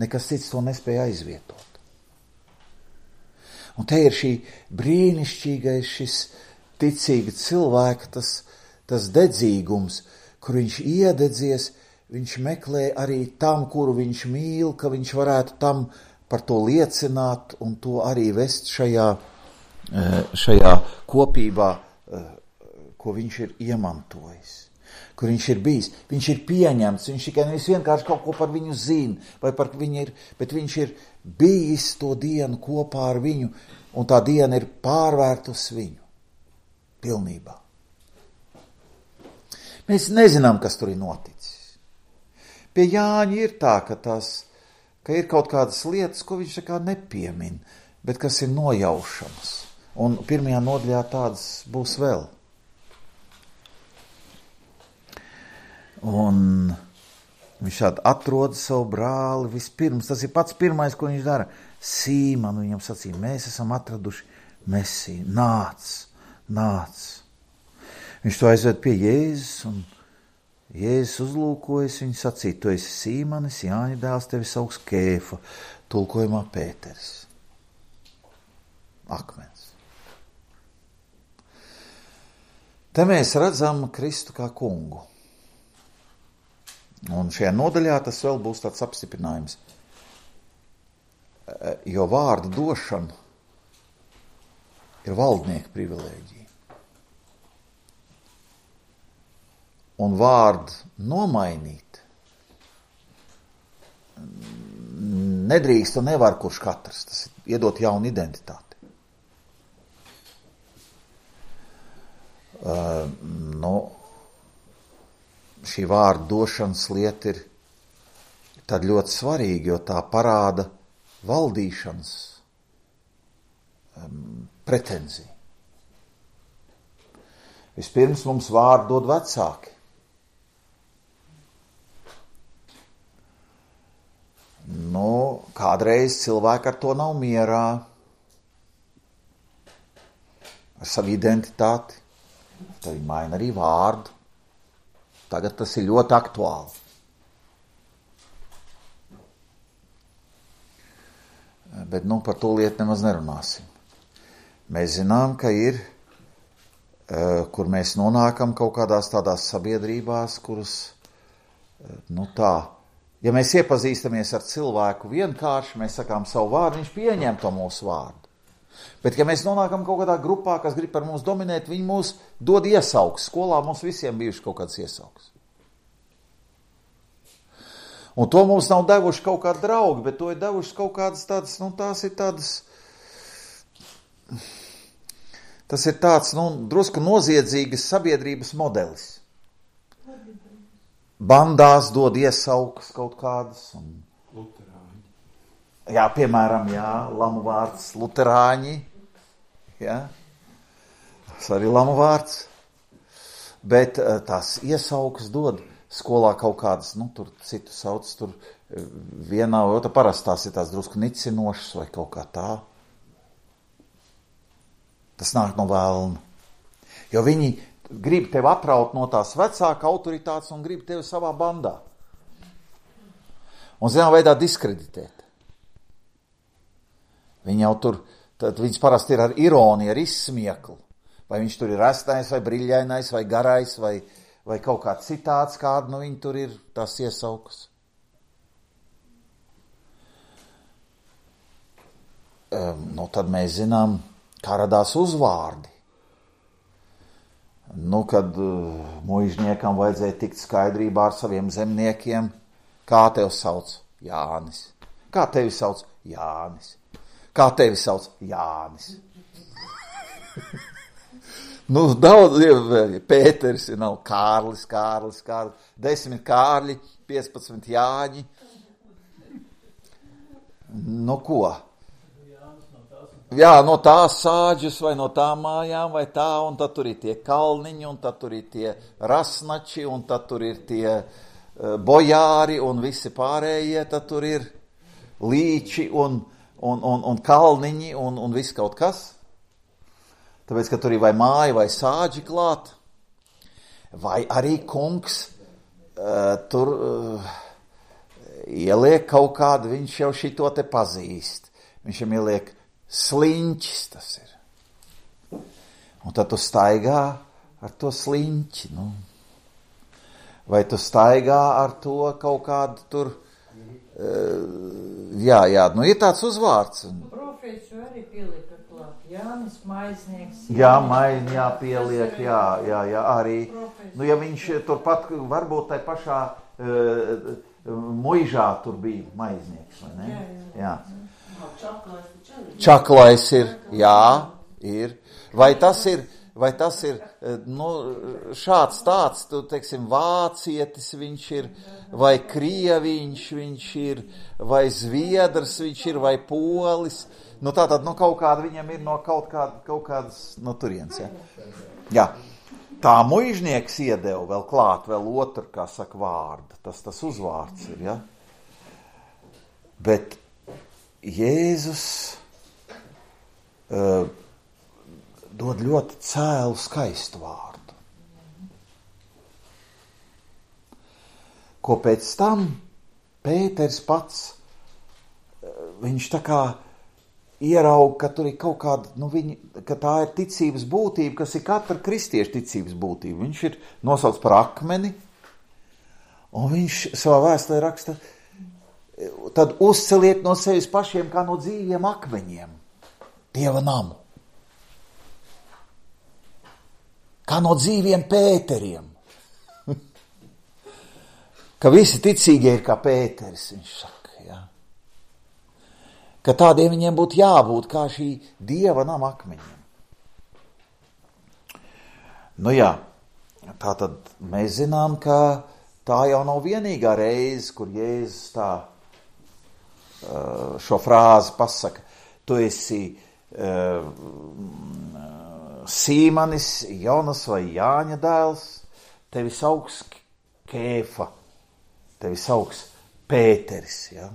Nekas cits to nespēja aizvietot. Un te ir šī brīnišķīgais, šis ticīga cilvēka, tas dedzīgums, kur viņš iededzies, viņš meklē arī tam, kuru viņš mīl, ka viņš varētu tam par to liecināt un to arī vest šajā kopībā, ko viņš ir iemantojis. kur viņš ir bijis. Viņš ir pieņemts, viņš tikai nevis vienkārši kaut ko par viņu zina, vai par viņu ir, bet viņš ir bijis to dienu kopā ar viņu, un tā diena ir pārvērtus viņu pilnībā. Mēs nezinām, kas tur ir noticis. Pie Jāņa ir tā, ka ir kaut kādas lietas, ko viņš tā kā nepiemin, bet kas ir nojaušamas. Un pirmajā nodaļā tādas būs vēl. Un viņš šādi atrod savu brāli vispirms. Tas ir pats pirmais, ko viņš dara. Sīmanu viņam sacīja, mēs esam atraduši Mesiju. Nāc. Viņš to aizved pie Jēzus, un Jēzus uzlūkojas, viņu sacīja, tu esi Sīmanis, Jāņa dēls, tevi sauks Kēfa, tulkojumā Pēteris. Akmens. Te mēs redzam Kristu kā kungu. Un šajā nodaļā tas vēl būs tāds apstiprinājums. Jo vārdu došana ir valdnieka privilēģija. Un vārdu nomainīt nedrīkst un nevar kurš katrs. Tas ir iedot jaunu identitāti. Šī vārdu došanas lieta ir tad ļoti svarīga, jo tā parāda valdīšanas pretenziju. Vispirms mums vārdu dod vecāki. Kādreiz cilvēki ar to nav mierā, ar savu identitāti, tad viņi maina arī vārdu. Tagad tas ir ļoti aktuāli. Bet par to lietu nemaz nerunāsim. Mēs zinām, ka ir, kur mēs nonākam kaut kādās tādās sabiedrībās, kuras, ja mēs iepazīstamies ar cilvēku vienkārši, mēs sakām savu vārdu, viņš pieņem to mūsu vārdu. Bet, ja mēs nonākam kaut kādā grupā, kas grib par mums dominēt, viņi mūs dod iesauks. Skolā mums visiem bijuši kaut kāds iesauks. Un to mums nav devuši kaut kādi draugi, bet to ir devuši kaut kādas tādas, tās ir tādas, tas ir tāds, drusku noziedzīgas sabiedrības modelis. Bandās dod iesaukas kaut kādas. Luterāņi. Jā, piemēram, lamu vārds luterāņi. Jā, tas arī lamu vārds. Bet tās iesaukas dod skolā kaut kādas, tur citu sauc, tur vienā vai otrā parasti tās ir tās drusku nicinošas vai kaut kā tā. Tas nāk no vēlna. Jo viņi grib tevi atraut no tās vecāka autoritātes un grib tevi savā bandā. Un zinām veidā diskreditēt. Viņi jau tur, tad viņas parasti ir ar ironiju, ar izsmieklu. Vai viņš tur ir restais, vai briļainais, vai garais, vai kaut kā citāds, kāda viņi tur ir, tās iesaukas. Tad mēs zinām, kā radās uzvārdi. Kad muižniekam vajadzēja tikt skaidrībā ar saviem zemniekiem, kā tevi sauc? Jānis. Kā tevi sauc? Jānis. Kā tevi sauc? Jānis. Daudz, Pēteris, nav Kārlis, 10 Kārļi, 15 Jāņi. Ko? Jā, no tās sāģes vai no tām mājām vai tā, un tad tur ir tie kalniņi, un tad tur ir tie rasnači, un tad tur ir tie bojāri, un visi pārējie, tad tur ir līči un kalniņi, un viss kaut kas. Tāpēc, ka tur ir vai māja vai sāģi klāt, vai arī kungs tur ieliek kaut kādu, viņš jau šito te pazīst. Viņš jau ieliek sliņķis, tas ir. Un tad tu staigā ar to sliņķi, Vai tu staigā ar to kaut kādu tur, ir tāds uzvārds. Profesu arī pielika klāt, Jānis Maiznieks. Jā, pieliek, arī. Nu, ja viņš turpat, varbūt tai pašā muižā tur bija maiznieks, vai ne? Jā. Čaklais ir, jā, ir. Vai tas ir nu, šāds tāds, tu, teiksim, vācietis viņš ir, vai krieviņš viņš ir, vai zviedrs viņš ir, vai polis. Nu, tātad, nu, kaut kāda viņam ir no kaut kādas, no turienes, ja? Jā. Tā muižnieks iedeva vēl klāt, vēl otru, kā saka, vārdu. Tas uzvārds ir, ja? Bet Jēzus dod ļoti cēlu, skaistu vārdu. Ko pēc tam Pēters pats, viņš tā kā ieraug, ka tur ir kaut kāda, nu ka tā ir ticības būtība, kas ir katra kristieša ticības būtība. Viņš ir nosauc par akmeni, un viņš savā vēstulē raksta, tad uzceliet no sevis pašiem kā no dzīviem akmeņiem Dieva namu. Kā no dzīviem Pēteriem. Ka visi ticīgie ir kā Pēteris, viņš saka, jā. Ka tādiem viņiem būtu jābūt kā šī Dieva nama akmeņiem. Nu jā, tātad mēs zinām, ka tā jau nav vienīgā reize, kur Jēzus tā šo frāzi pasaka. Tu esi Sīmanis, Jonas vai Jāņa dēls, tevi sauks Kēfa, tevi sauks Pēteris. Ja?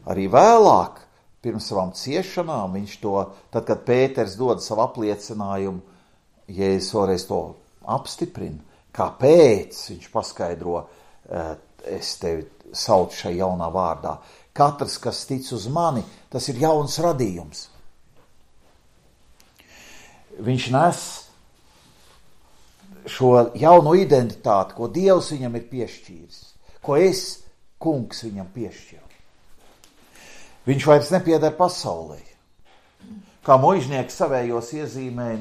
Arī vēlāk, pirms savām ciešanām, viņš to, tad, kad Pēters dod savu apliecinājumu, Jēzus vēlreiz to apstiprina. Kāpēc viņš paskaidro, es tevi saucu šai jaunā vārdā. Katrs, kas tic uz mani, tas ir jauns radījums. Viņš nes šo jauno identitāti, ko Dievs viņam ir piešķīris, ko es, kungs, viņam piešķiru. Viņš vairs nepieder pasaulē. Kā muižnieks savējos iezīmēja,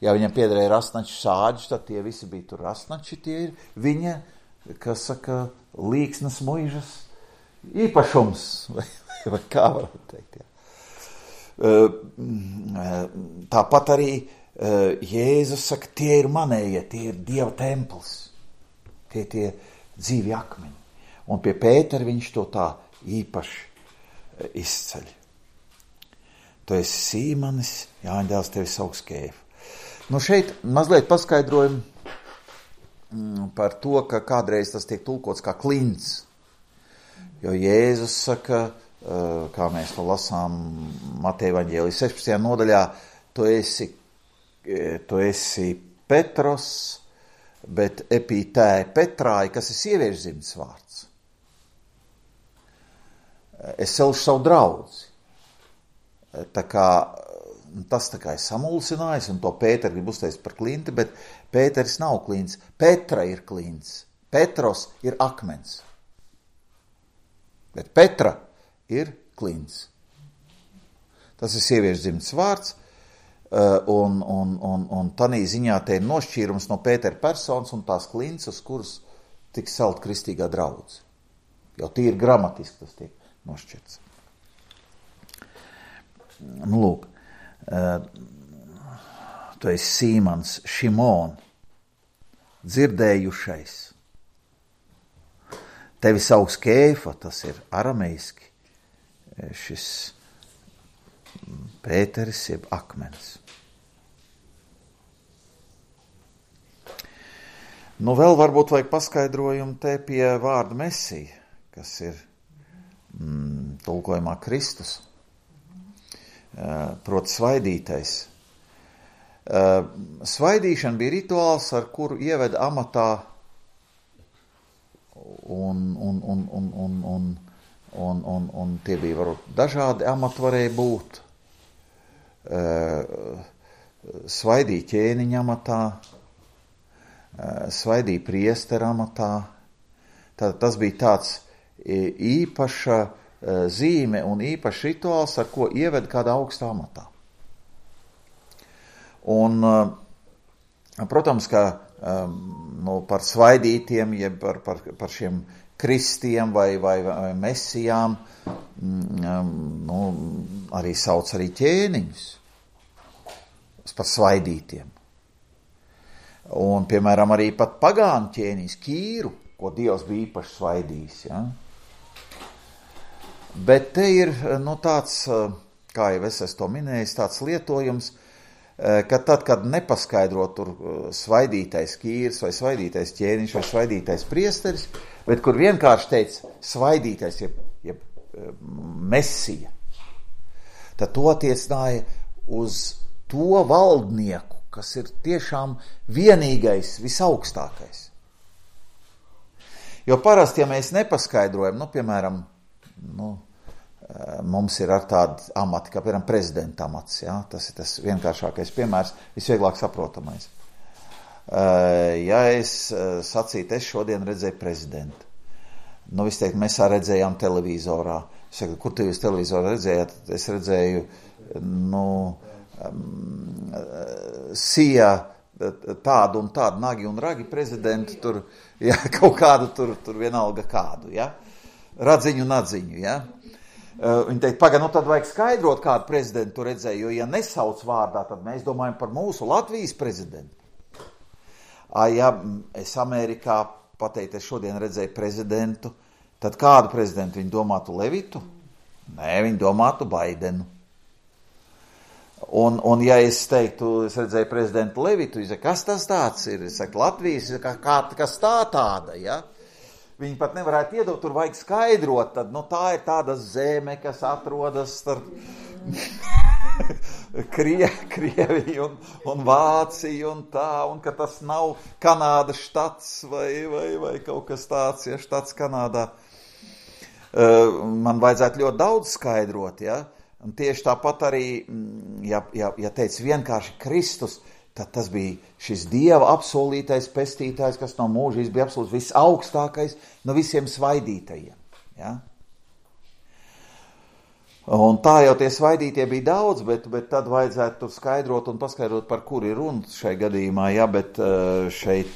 ja viņam piederēja rasnaču sāģi, tad tie visi bija tur rasnači, tie ir viņa, kas saka, līksnes muižas īpašums, vai kā varam teikt, jā. Tāpat arī Jēzus saka, tie ir manējie, tie ir Dieva templis, tie dzīvi akmeņi. Un pie Pētera viņš to tā īpaši izceļ. Tu esi Sīmanis, Jāņa dēls, tevi sauks Kēfa. Nu šeit mazliet paskaidrojam par to, ka kādreiz tas tiek tulkots kā klints. Jo Jēzus saka, kā mēs to lasām Mateja evaņģēlijas 16. nodaļā, tu esi Petros, bet epitē Petrāji, kas ir sieviešu dzimtas vārds. Es celšu savu draudzi. Tas tā kā ir samulsinājis, un to Pēteru grib uzteikt par klinti, bet Pēteris nav klints. Petra ir klints. Petros ir akmens. Bet Petra ir klints. Tas ir sieviešu dzimtas vārds, un tanī ziņā te ir nošķīrums no Pētera personas un tās klints, uz kuras tiks celt kristīgā draudze. Jau tīri gramatiski tas tiek nošķirts. Nu, lūk, tu esi Sīmans, Šimon, dzirdējušais. Tevi sauks Kēfa, tas ir arameiski, šis Pēteris jeb akmens. Nu, vēl varbūt vajag paskaidrojumu te pie vārda Mesija, kas ir tulkojumā Kristus, proti svaidītais. Svaidīšana bija rituāls, ar kuru ieveda amatā un tie bija varbūt dažādi amati varēja būt. Svaidīja ķēniņa amatā, svaidīja priestera amatā. Tātad tas bija tāds īpaša zīme un īpašs rituāls, ar ko ieveda kādā augstā amatā. Un Protams, ka par svaidītiem, jeb par šiem kristiem vai mesijām, arī sauc arī ķēniņus par svaidītiem. Un, piemēram, arī pat pagānu ķēniņus, Kīru, ko Dievs bija īpaši svaidījis. Ja? Bet te ir tāds, kā jau es to minējis, tāds lietojums, ka tad, kad nepaskaidro tur svaidītais Kīrs vai svaidītais ķēniņš vai svaidītais priesteris, bet kur vienkārši teica svaidītais, jeb mesija, tad to attiecināja uz to valdnieku, kas ir tiešām vienīgais, visaugstākais. Jo parasti, ja mēs nepaskaidrojam, piemēram, mums ir ar tādu amati, kā piemēram prezidenta amats, ja? Tas ir tas vienkāršākais piemērs, visvieglāk saprotamais. Ja es sacītu, es šodien redzēju prezidentu, es teiktu, mēs redzējām televizorā. Es saku, kur tu jūs televizorā redzējāt? Es redzēju, sija tādu un tādu nagi un ragi prezidentu, tur, ja, kaut kādu tur vienalga kādu, ja? Radziņu un atziņu, ja? Viņi teikt, tad vajag skaidrot, kādu prezidentu redzēju, jo, ja nesauc vārdā, tad mēs domājam par mūsu Latvijas prezidentu. Ja es Amerikā pateikt, es šodien redzēju prezidentu, tad kādu prezidentu viņi domātu Levitu? Nē, viņi domātu Baidenu. Un ja es teiktu, es redzēju prezidentu Levitu, es saku, kas tas tāds ir? Es saku, Latvijas, kas tāda, ja? Viņi pat nevarētu iedot, tur vajag skaidrot, tad, tā ir tāda zeme, kas atrodas starp Krieviju un Vāciju un tā, un ka tas nav Kanādas štats vai kaut kas tāds, ja, štats Kanādā. Man vajadzētu ļoti daudz skaidrot, ja, un tieši tāpat arī, ja teic vienkārši Kristus, tad tas bija šis Dieva apsolītais pestītājs, kas no mūžības bija absolūti visaugstākais no visiem svaidītajiem. Ja? Un tā jau tie svaidītie bija daudz, bet tad vajadzētu tur skaidrot un paskaidrot, par kur ir runa šai gadījumā, ja, bet šeit,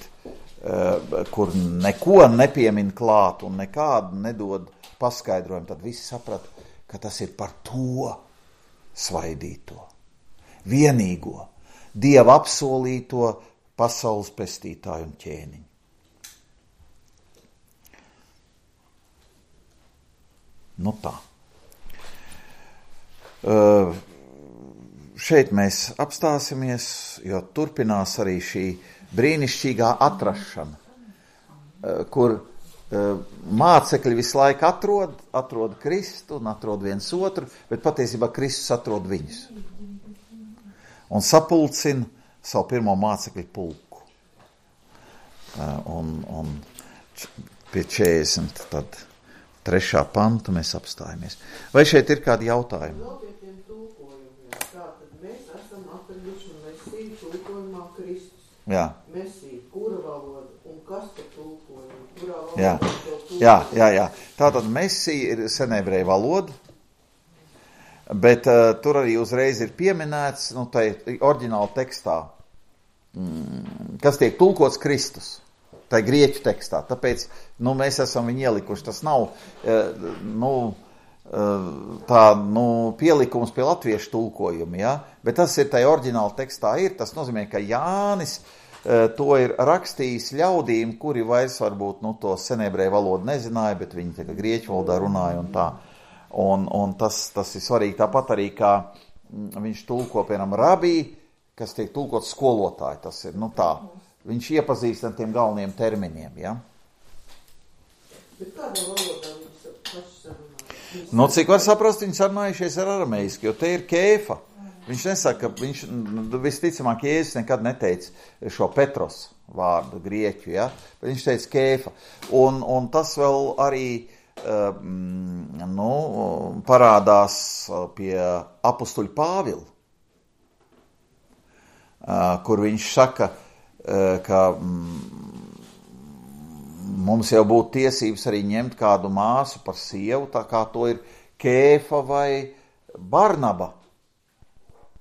kur neko nepiemin klāt un nekādu nedod paskaidrojumu, tad visi saprat, ka tas ir par to svaidīto, vienīgo, Dieva apsolīto pasaules pestītāju un ķēniņu. Tā. Šeit mēs apstāsimies, jo turpinās arī šī brīnišķīgā atrašana, kur mācekļi visu laiku atrod Kristu un atrod viens otru, bet patiesībā Kristus atrod viņus. Un sapulcina savu pirmo mācekļu pulku. Un pie 40, tad 3. panta mēs apstājamies. Vai šeit ir kādi jautājumi? Vēl pie tiem tulkojumiem. Tātad mēs esam atraduši Mesiju tulkojumā Kristus. Jā. Mesija, kura valoda un kas par tulkojumu? Kurā Jā. valoda to tulkojumu? Jā. Tātad Mesija ir senebreju valoda, bet tur arī uzreiz ir pieminēts, tai oriģināla tekstā, kas tiek tulkots Kristus, tai grieķu tekstā. Tāpēc, mēs esam viņu ielikuši. Tas nav, pielikums pie latviešu tulkojuma, ja? Bet tas ir tai oriģināla tekstā ir. Tas nozīmē, ka Jānis to ir rakstījis ļaudīm, kuri vairs varbūt, to senebreju valodu nezināja, bet viņi tā kā grieķu valodā runāja un tā. Un tas ir svarīgi, tāpat arī, kā viņš tulko, piemēram, rabī, kas tiek tulkots skolotāji, tas ir, tā, viņš iepazīst ar tiem galveniem terminiem, ja? Bet kādā valodā viņi paši sarunāja? Cik var saprast, viņi sarunājušies ar arameiski, jo te ir Kēfa. Viņš nesaka, viņš visticamāk Jēzus nekad neteica šo Petros vārdu grieķu, ja? Bet viņš teica Kēfa. Un tas vēl arī parādās pie apustuļa Pāvila, kur viņš saka, ka mums jau būtu tiesības arī ņemt kādu māsu par sievu, tā kā to ir Kēfa vai Barnaba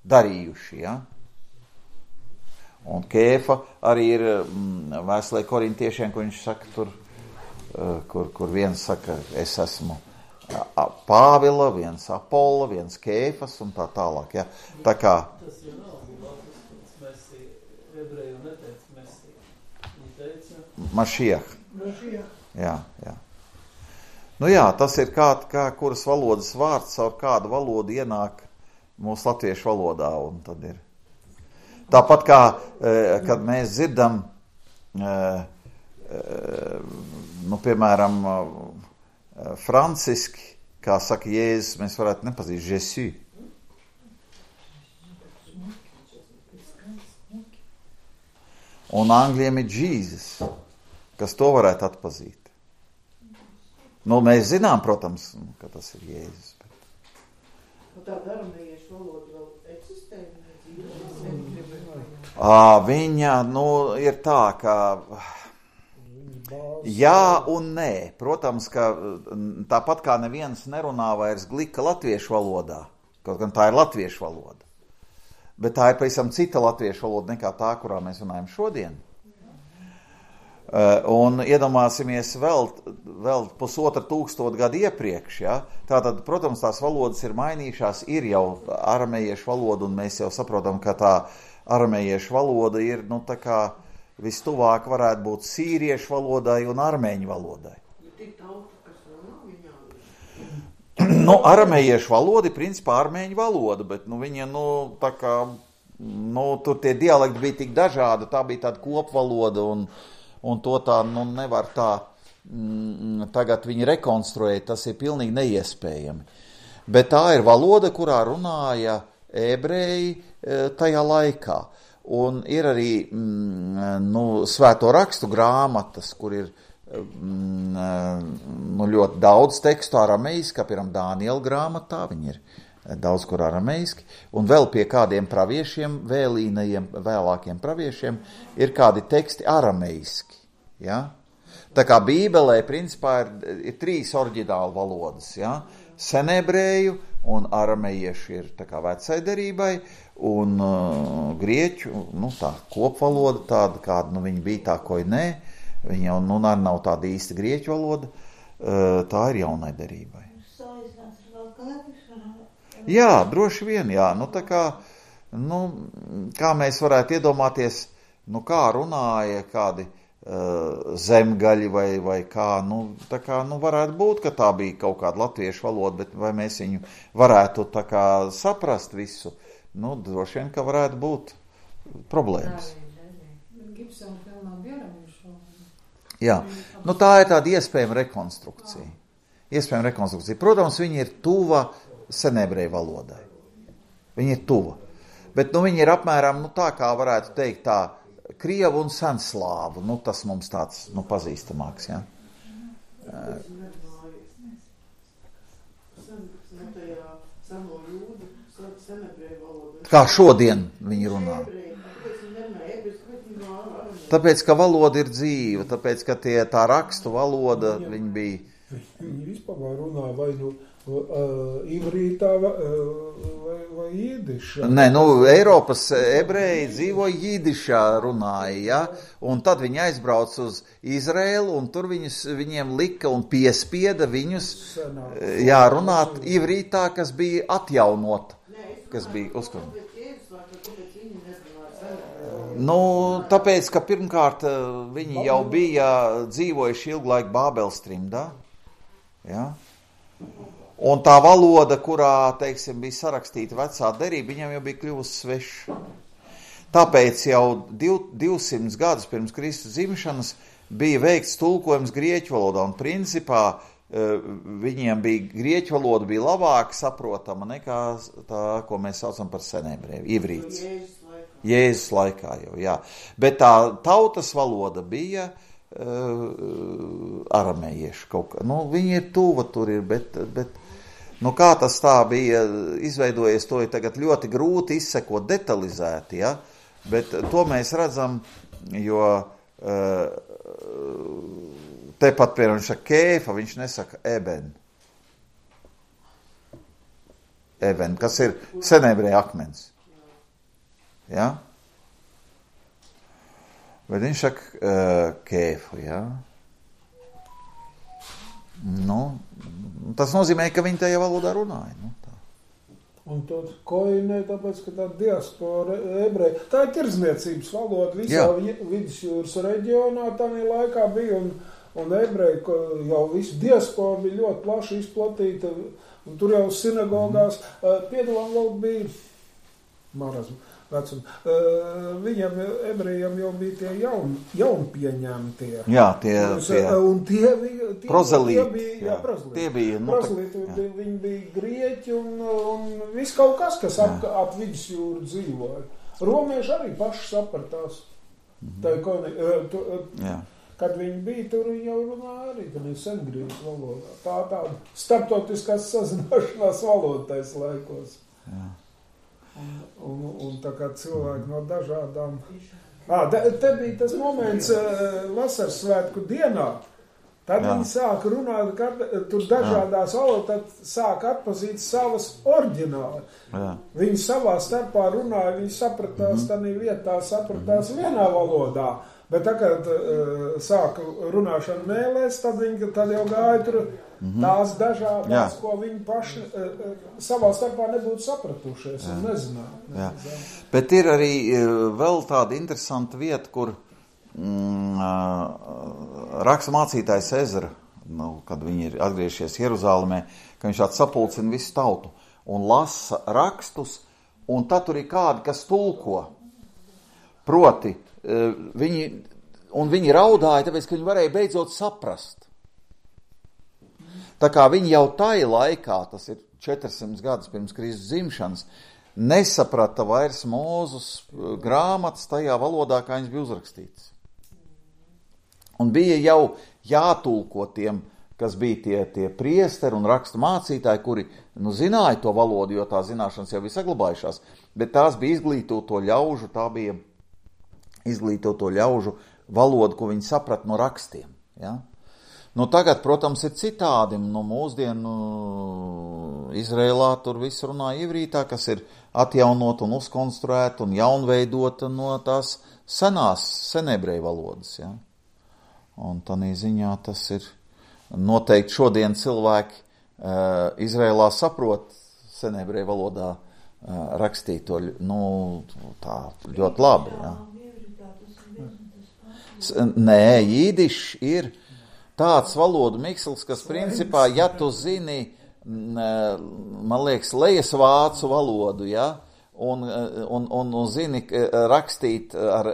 darījuši, ja? Un Kēfa arī ir vēstulē korintiešiem, kur viņš saka tur, kur viens saka, es esmu Pāvila, viens Apolla, viens Kēfas un tā tālāk. Ja? Tā kā... Tas jau nav latvijas mesija, ebreju neteica mesija. Viņi teica... Mašiach. Jā. Nu jā, tas ir kā kuras valodas vārds, caur kādu valodu ienāk mūsu latviešu valodā. Un tad ir. Tāpat kā, kad mēs dzirdam, piemēram, franciski, kā saka Jēzus, mēs varētu nepazīt Jésus. Un angļiem ir Jesus, kas to varētu atpazīt. Nu, mēs zinām, protams, ka tas ir Jēzus. Un tā aramejiešu valoda vēl eksistē? Viņa, ir tā, ka jā un nē. Protams, ka tāpat kā neviens nerunā vairs glika latviešu valodā, kaut gan tā ir latviešu valoda. Bet tā ir pavisam cita latviešu valoda nekā tā, kurā mēs runājam šodien. Un iedomāsimies vēl 1500 gadu iepriekš, ja? Tātad, protams, tās valodas ir mainījušās, ir jau aramejiešu valoda, un mēs jau saprotam, ka tā aramejiešu valoda ir, tā kā vistuvāk varētu būt sīriešu valodai un armēņu valodai. Tik tauta, kas runā viņā? Aramejiešu valoda ir principā armēņu valoda, bet, viņa, tā kā, tur tie dialekti bija tik dažādi, tā bija tāda kopvaloda, un to tā, nevar tā tagad viņi rekonstruēt, tas ir pilnīgi neiespējami. Bet tā ir valoda, kurā runāja ebreji tajā laikā. Un ir arī svēto rakstu grāmatas, kur ir ļoti daudz tekstu arameiski, kā piemēram Dāniela grāmatā, viņi ir daudz kur arameiski, un vēl pie kādiem praviešiem, vēlīnajiem, vēlākiem praviešiem, ir kādi teksti arameiski. Ja? Tā kā Bībelē, principā, ir 3 oriģinālu valodas. Ja? Senebreju un aramejiešu ir tā kā vecai derībai, un grieķu, tā kopvaloda tāda, kāda, viņa bija tā, ko nē, viņa jau, arī nav tāda īsta grieķu valoda, tā ir jaunai derībai. Jā, droši vien, jā. Tā kā, kā mēs varētu iedomāties, kā runāja kādi zemgaļi vai kā, tā kā, varētu būt, ka tā bija kaut kāda latviešu valoda, bet vai mēs viņu varētu tā kā saprast visu, droši vien, ka varētu būt problēmas. Jā, tā ir tāda iespējama rekonstrukcija. Protams, viņa ir tuva senebreju valodai. Viņa ir tuva. Bet, viņa ir apmēram, tā kā varētu teikt tā, krievu un senslāvu. Tas mums tāds, pazīstamāks, ja. Kā šodien viņi runā. Tāpēc, ka valoda ir dzīva, tāpēc, ka tā rakstu valoda, viņi bija... Viņi vispār runā vai ivrītā vai jidišā. Nē, Eiropas ebreji dzīvo jidišā runāja, ja? Un tad viņi aizbrauc uz Izraēlu, un tur viņiem lika un piespieda viņus runāt ivrītā, kas bija atjaunota, kas bija uzskatīt. Tāpēc, ka pirmkārt viņi jau bija dzīvojuši ilgu laiku Bābeles trimdā, ja? Un tā valoda, kurā, teiksim, bija sarakstīta vecā derība, viņam jau bija kļuvusi sveša. Tāpēc jau 200 gadus pirms Kristus dzimšanas bija veikts tulkojums grieķu valodā, un principā viņiem bija grieķu valoda bija labāk saprotama nekā tā, ko mēs saucam par senebreju, ivrīts. Jēzus laikā jau, jā. Bet tā tautas valoda bija aramejiešu kaut kā. Viņi ir tuva tur ir, bet kā tas tā bija izveidojies, to ir tagad ļoti grūti izsekot detalizēti, ja? Bet to mēs redzam, jo tepat piemēram viņš saka Kēfa, viņš nesaka eben, kas ir senebreju akmens. Ja? Bet viņš saka kēfu, jā. Nu, tas nozīmē, ka viņi tajā valodā runāja. Nu, tā. Un to koinē, tāpēc, ka tā diaspora ebreja, tā ir tirdzniecības valoda visā vidusjūras reģionā tādā laikā bija, un ebreji, jau visu diaspora bija ļoti plaši izplatīta, un tur jau sinagogās, piedalām vēl bija marazmu. Viņam, ebrejiem, jau bija tie jaunpieņemtie. Jā, tie un tie prozelīti. Prozelīti. Tie bija, Viņi bija grieķi un viss kaut kas ap vidusjūru dzīvoja. Romieši arī paši sapratās. Kad viņi bija, tur viņi jau runāja arī, gan ir sengrieķu valodā. Tāda starptautiskās sazināšanās valodas laikos. Jā. Un tā kā cilvēki no dažādām... Te bija tas moments vasaras svētku dienā. Tad viņi sāka runāt, tur dažādās valodās sāka atpazīt savas oriģināli. Viņi savā starpā runāja, viņi sapratās tādā vietā, sapratās vienā valodā. Bet tā, kad sāka runāšana mēlēs, tad jau gāja tur tās dažādas, ko viņi paši savā starpā nebūtu sapratušies un nezināja. Bet ir arī vēl tāda interesanta vieta, kur raksta mācītājs Ezra, kad viņi ir atgriežies Jeruzālēmē, ka viņš sapulcina visu tautu un lasa rakstus, un tad tur ir kādi, kas tulko. Proti, viņi raudāja, tāpēc, ka viņi varēja beidzot saprast. Tā kā viņi jau tai laikā, tas ir 400 gadus pirms Kristus dzimšanas, nesaprata vairs Mūzus grāmatas tajā valodā, kā viņas bija uzrakstītas. Un bija jau jātulko tiem, kas bija tie priesteri un rakstu mācītāji, kuri zināja to valodu, jo tā zināšanas jau bija saglabājušās, bet tās bija izglītoto ļaužu valodu, ko viņi saprata no rakstiem. Ja? Tagad, protams, ir citādi. Mūsdienu Izrēlā tur viss runā ivrītā, kas ir atjaunot un uzkonstruēt un jaunveidot no tās senebreju valodas. Ja? Un tādā ziņā tas ir noteikti šodien cilvēki Izrēlā saprot senebreju valodā rakstīto tā ļoti labi. Ja? Nē, jīdišs ir tāds valodu miksls, kas principā, ja tu zini, man liekas, lejas vācu valodu, ja, un zini rakstīt ar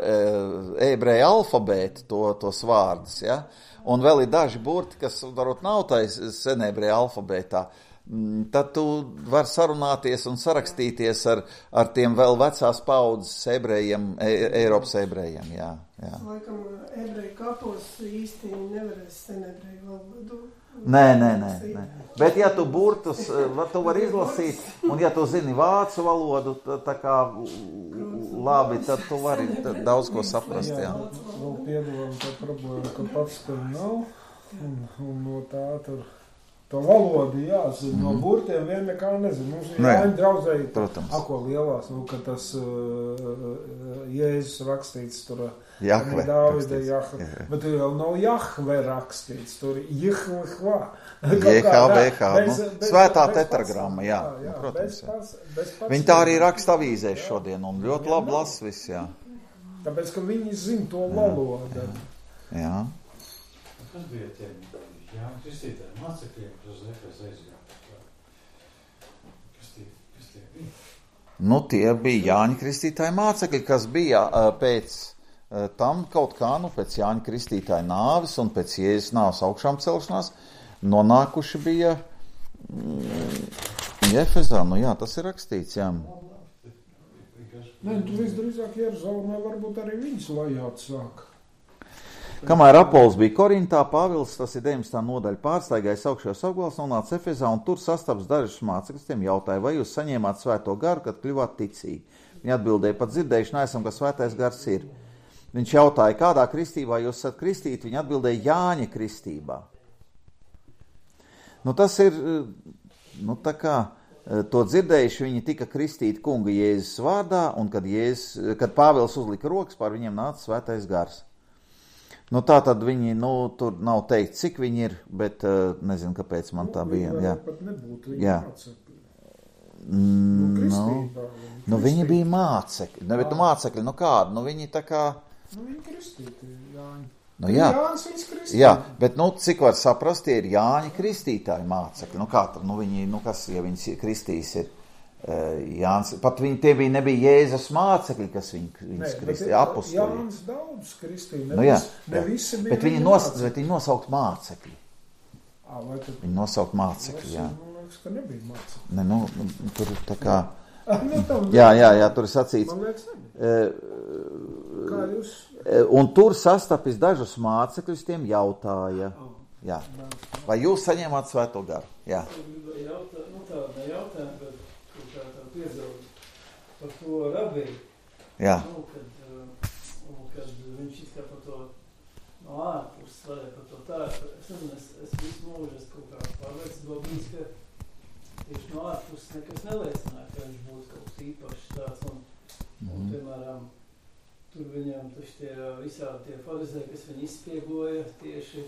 ebreju alfabētu tos vārdus, ja, un vēl ir daži burti, kas varbūt nav tais senebreju alfabētā, tad tu vari sarunāties un sarakstīties ar tiem vēl vecās paudzes ebrejiem, Eiropas ebrejiem, jā. Laikam, ebreju kapos īsti nevarēs senebreju valodu. Nē. Bet ja tu burtus, tu vari izlasīt, un ja tu zini vācu valodu, tā kā labi, tad tu vari daudz ko saprast, jā. Vēl piedalām tā problēma, ka pats tur nav, un no tā tur... To valodu jāzina, no burtiem vien nekā nezinu. Mums ir jāņem draudzēji, ako lielās, ka tas Jēzus rakstīts tur. Jahve rakstīts. Bet tur jau nav Jahve rakstīts, tur ir Jihvehva. JHVH, svētā tetragramma, jā. Protams, viņi tā arī raksta avīzēs šodien, un ļoti labi las viss, jā. Tāpēc, ka viņi zina to valodu. Jā. Kas bija tiem? Jā, kristītāji mācekļiem, kas uz Efes aizgāja. Kas tie bija? Tie bija Jāņa Kristītāja mācekļi, kas bija pēc tam kaut kā, pēc Jāņa Kristītāja nāves un pēc Jēzus nāves augšām celšanās, nonākuši bija Efesā. Jā, tas ir rakstīts, jā. Tu visdrīzāk Jeruzalemē varbūt arī viņus vajāt sāk. Kamēr Apols bija Korintā, Pāvils, tas ir 19. nodaļa, pārstaigājis augšējos apgabalus, nonāca Efesā un tur sastaps dažus mācekļus, tiem jautāja, vai jūs saņēmāt svēto garu, kad kļuvāt ticīgi? Viņi atbildēja, pat dzirdējuši neesam, ka svētais gars ir. Viņš jautāja, kādā kristībā jūs esat kristīti? Viņi atbildēja, Jāņa kristībā. Tas ir, tā kā to dzirdējuši, viņi tika kristīti kunga Jēzus vārdā, un kad Pāvils uzlika rokas, pār viņiem nāca svētais gars. Nu, tā tad viņi, tur nav teikt, cik viņi ir, bet nezinu, kāpēc man tā bija. Jā. Pat nebūtu viņi Jā. mācekļi. Viņi bija mācekļi. Bet mācekļi, kādi? Viņi tā kā... Viņi kristīti, Jāņi. Jā. Jānis viņas kristīti. Jā, bet, cik var saprast, tie ir Jāņa kristītāji mācekļi. Kā tad, viņi, kas, ja viņas kristīs ir Jānis, pat viņi, tie nebija Jēzus mācekļi, kas viņas kristīja, apostoli. Jānis daudz kristīja, ne visi bija bet viņi nosaukt mācekļi. Viņi nosaukt mācekļi, jā. Man liekas, ka nebija mācekļi. Tur ir tā kā... Jā, tur ir sacīts. Man liekas, kā jūs... Un tur sastapis dažus mācekļus, tiem jautāja. Jā. Vai jūs saņēmāt Svēto garu? Jā. Tāda jautājuma, bet tā piebilda par to rabiju. Jā. Kad viņš izskata par to no ārpuses, vai par to tā, es nezinu, es visu mūžu kaut kā pārliecībā bijis, ka tieši no ārpuses nekas neliecināja, ka viņš būtu kaut kas īpašs tāds, un piemēram, tur viņam taču visādi tie farizēji, kas viņu izspiegoja tieši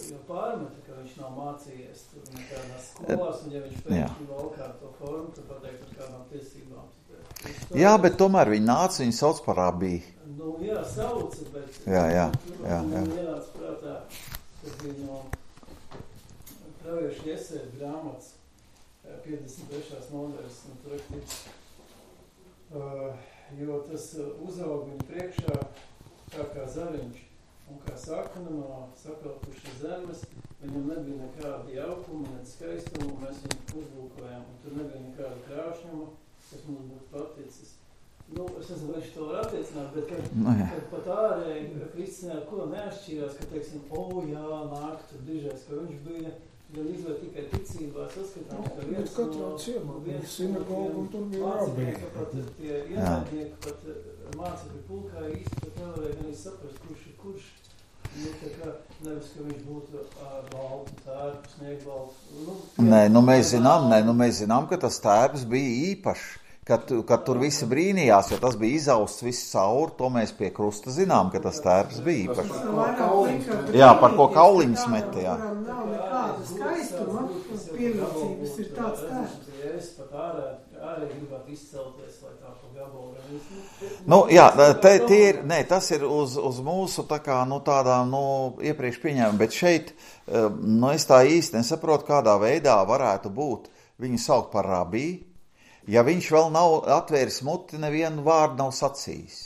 jo pārmeta, ka viņš nav mācījies tur nekādās skolās, un ja viņš pēkšņi valkā to formu, tad pateikt ar kādām tiesībām. Jā, bet tomēr viņi nāca, viņi sauc par rabiju. Jā, sauca, bet jā. Viņam ienāca prātā, kad viņu praviešu Jesēja grāmatas 53. nodaļas, un tur rakstīts, jo tas uzaug viņu priekšā kā zariņš, un kā sakna no sapelkušas zemes, viņam nebija nekāda jaukuma, ne skaistuma, mēs viņu uzlūkojām, un tur nebija nekāda krāšņuma, kas mums būtu paticis. Es nezinu, vai viņš to var attiecināt, bet kad pat ārēji Kristinē ar ko neatšķīrās, ka teiksim, nāk tur dižais, ka viņš bija gan izvēl tikai ticībā saskatāms, ka viens katrā ciemā, sinagoga un tur bija rabija. Pat tie ienaidnieki, pat mācekļu pulkā īsti pat nevarēja gan saprast, kurš ir kurš. Tā kā nevis, ka viņš būtu baltu tērpu, sniegbaltu. Mēs zinām, ka tas tērps bija īpašs. Kad tur visi brīnījās, jo tas bija izausts viss caur, to mēs pie krusta zinām, ka tas tērps bija īpašs. Jā, par ko kauliņus meta, jā. Nav nekāda skaistuma, pievilcības ir tāds tērps. Ja es pat ārēji gribētu izcelties, lai tā pa gabalu. Tas ir uz mūsu tā kā, tādām, iepriekš pieņēmuma, bet šeit, es tā īsti nesaprotu, kādā veidā varētu būt viņu saukt par rabiju, ja viņš vēl nav atvēris muti, nevienu vārdu nav sacījis.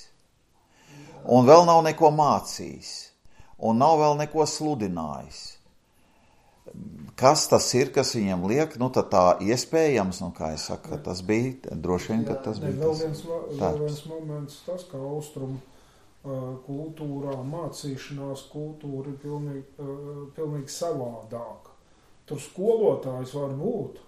Un vēl nav neko mācījis. Un nav vēl neko sludinājis. Kas tas ir, kas viņam liek? Tad tā iespējams, kā es saku, tas bija, droši vien, ka tas bija tas. Vēl viens moments, tas, ka austrumu kultūrā, mācīšanās kultūra ir pilnīgi savādāk. Tur skolotājs var būt.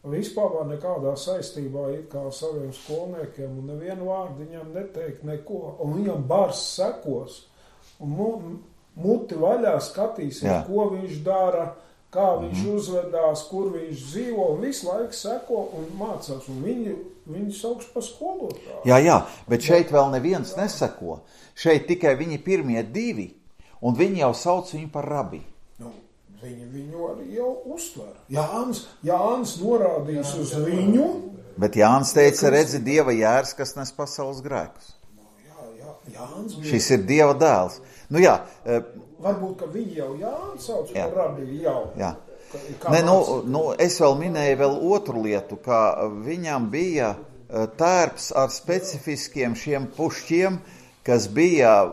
Vispār nekādā saistībā ir kā saviem skolniekiem, un nevienu vārdu viņam neteikt neko, un viņam bars sekos, un muti vaļā skatīsies, ko viņš dara, kā viņš uzvedās, kur viņš dzīvo, un visu laiku seko un mācās, un viņi sauks par skolotāju. Jā, bet šeit vēl neviens neseko. Šeit tikai viņi pirmie divi, un viņi jau sauc viņu par rabiju. Viņi viņu arī jau uztver. Jānis norādījis uz viņu. Bet Jānis teica, redzi, Dieva jērs, kas nes pasaules grēkus. Jānis bija. Šis ir Dieva dēls. Varbūt, ka viņi jau Jānis sauc par rabiju jau. Jā. Es vēl minēju vēl otru lietu, ka viņam bija tērps ar specifiskiem šiem pušķiem, kas bija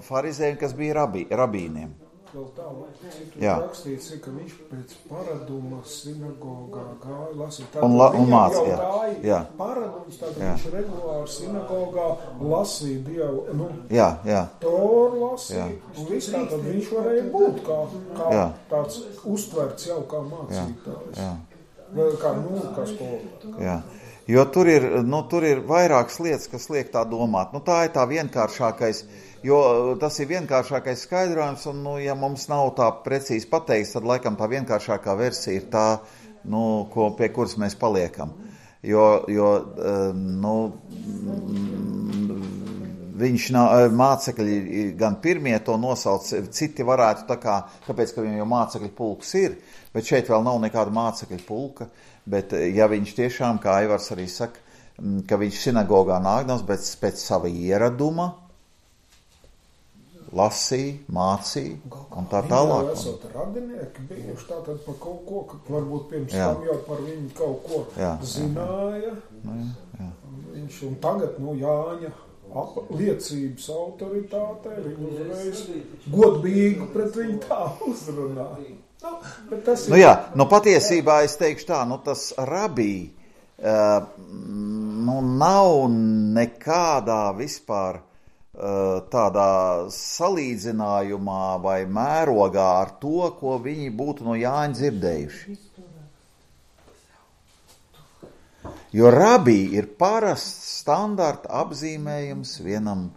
farizējiem, kas bija rabīniem. Vēl tā, rakstīts, ka viņš pēc paraduma sinagogā gāja lasīt. Un mācīja. Paradums, tātad viņš regulāri sinagogā lasīja Dievu. Toru lasīja. Un viss tātad viņš varēja būt kā tāds uztverts jau kā mācītājs. Kā skolotājs. Jo tur ir vairākas lietas, kas liek tā domāt. Tā ir tā vienkāršākais. Jo tas ir vienkāršākais skaidrojums, un, ja mums nav tā precīzi pateikts, tad laikam tā vienkāršākā versija ir tā, pie kuras mēs paliekam. Jo viņš nav, mācekļi gan pirmie to nosauc, citi varētu tā kā, kāpēc, ka viņam jau mācekļu pulks ir, bet šeit vēl nav nekāda mācekļu pulka, bet ja viņš tiešām, kā Aivars arī saka, ka viņš sinagogā nākdams, bet pēc sava ieraduma lasīja, mācīja un tā tālāk. Viņi jau esot radinieki bijuši tātad par kaut ko, ka varbūt pirms tam jau par viņu kaut ko zināja. Jā. Viņš un tagad, Jāņa liecības autoritātei, viņu uzreiz godbīgi pret viņu tā uzrunā. Bet tas ir... Patiesībā es teikšu tā, tas rabī, nav nekādā vispār tādā salīdzinājumā vai mērogā ar to, ko viņi būtu no Jāņa dzirdējuši. Jo rabī ir parasts standarta apzīmējums vienam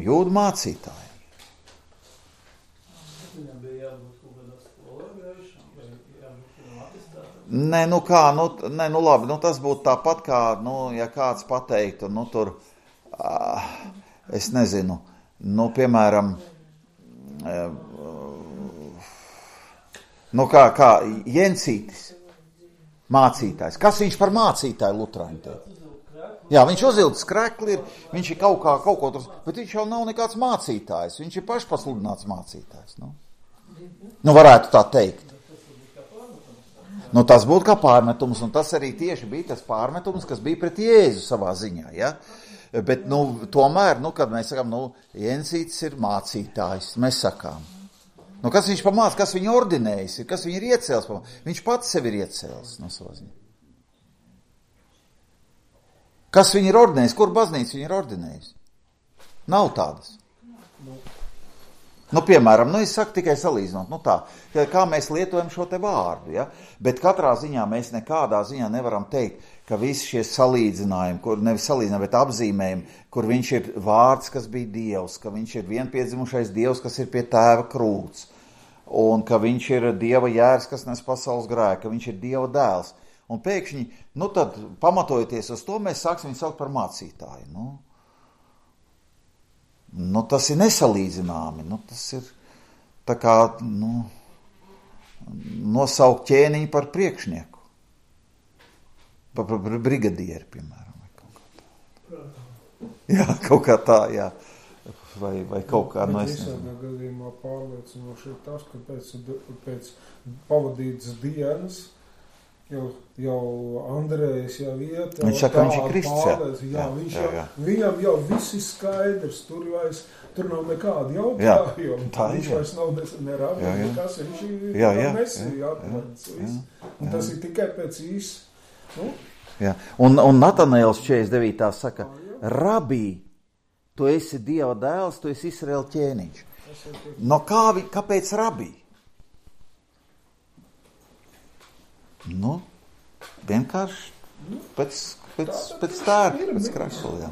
jūdu mācītājiem. Viņam bija jābūt kaut kādā skolā gājušam, vai jābūt kādam atestātam? Labi, tas būtu tāpat kā, ja kāds pateiktu, tur, es nezinu, piemēram, kā Jensītis, mācītājs. Kas viņš par mācītāju luterāņu teica? Jā, viņš uzilgs krekli ir, viņš ir kaut ko tur, bet viņš jau nav nekāds mācītājs, viņš ir pašpasludināts mācītājs. Varētu tā teikt. Tas būtu kā pārmetums, un tas arī tieši bija tas pārmetums, kas bija pret Jēzu savā ziņā, ja? Bet, tomēr, kad mēs sakām, Jensītis ir mācītājs, mēs sakām. Kas viņš pamāca, kas viņu ordinējis ir, kas viņu ir iecēlis, viņš pats sevi ir iecēlis no savā ziņā. Kas viņu ir ordinējis, kur baznīca viņu ir ordinējis? Nav tādas. Piemēram, es saku tikai salīdzinot, kā mēs lietojam šo te vārdu, ja? Bet katrā ziņā mēs nekādā ziņā nevaram teikt, ka visi šie salīdzinājumi, kur nevis salīdzinājumi, bet apzīmējumi, kur viņš ir vārds, kas bija Dievs, ka viņš ir vienpiedzimušais Dievs, kas ir pie tēva krūts, un ka viņš ir Dieva jērs, kas nes pasaules grēku, ka viņš ir Dieva dēls. Un pēkšņi, tad pamatojoties uz to, mēs sāksim viņu saukt par mācītāju. Tas ir nesalīdzināmi, tas ir tā kā, nosaukt ķēniņu par priekšnieku, par brigadieri, piemēram, vai kaut kā tā. Jā, kaut kā tā, jā, vai kaut kā, es nezinu. Visādā gadījumā pārliecinoši ir tas, ka pēc pavadītas dienas, jau Andrejs jau iet. Viņš saka, viņš ir Krists. Viņam jau viss ir skaidrs, tur nav nekādi jautājumi. Viņš vairs nav nerādi, nekas, viņš ir Mesija atvedis. Un tas ir tikai pēc īsa. Un Natanēls 49. saka, rabī, tu esi Dieva dēls, tu esi Izraēla ķēniņš. Kāpēc rabī? Vienkārši pēc tērpa, pēc krakla,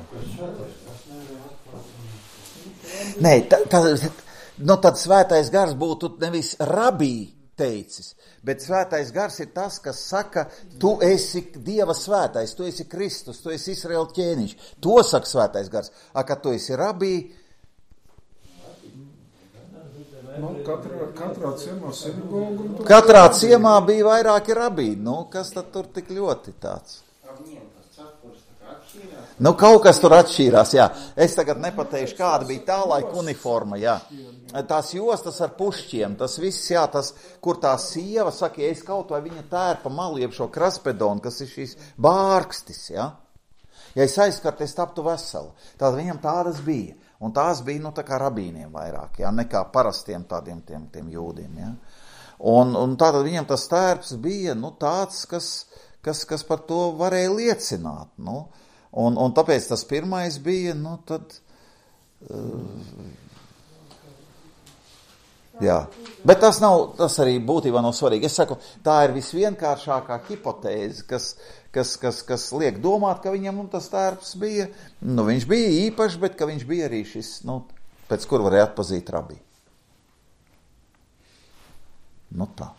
Nē, tad svētais gars būtu nevis rabī teicis, bet svētais gars ir tas, kas saka, tu esi Dieva svētais, tu esi Kristus, tu esi Izraēla ķēniņš. To saka svētais gars. Kad tu esi rabī, katrā ciemā sinagoga. Katrā ciemā bija vairāki rabīni. Kas tad tur tik ļoti tāds? Kaut kas tur atšķīrās, jā. Es tagad nepateikšu, kāda bija tā laika uniforma, jā. Tās jostas ar pušķiem, tas viss, jā, kur tā sieva saka, ja es kaut vai viņa tērpa malu, jeb šo kraspedonu, kas ir šīs bārkstis, jā. Ja es aizskart, es taptu vesela. Tātad viņam tādas bija. Un tās bija, tā kā rabīniem vairāk, ja, nekā parastiem tādiem tiem jūdiem, ja. Un tātad viņam tas tērps bija, tāds, kas par to varēja liecināt, un tāpēc tas pirmais bija, tad, jā. Bet tas arī būtībā nav svarīgi. Es saku, tā ir visvienkāršākā hipotēze, kas liek domāt, ka viņam tas tērps bija, viņš bija īpašs, bet ka viņš bija arī šis, pēc kur varēja atpazīt rabī. Tā.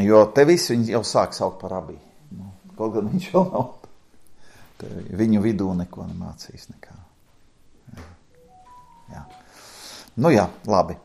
Jo te visi viņi jau sāk saukt par rabī. kaut gan viņš vēl nav viņu vidū neko nemācījis nekā. Jā. Nu jā, labi.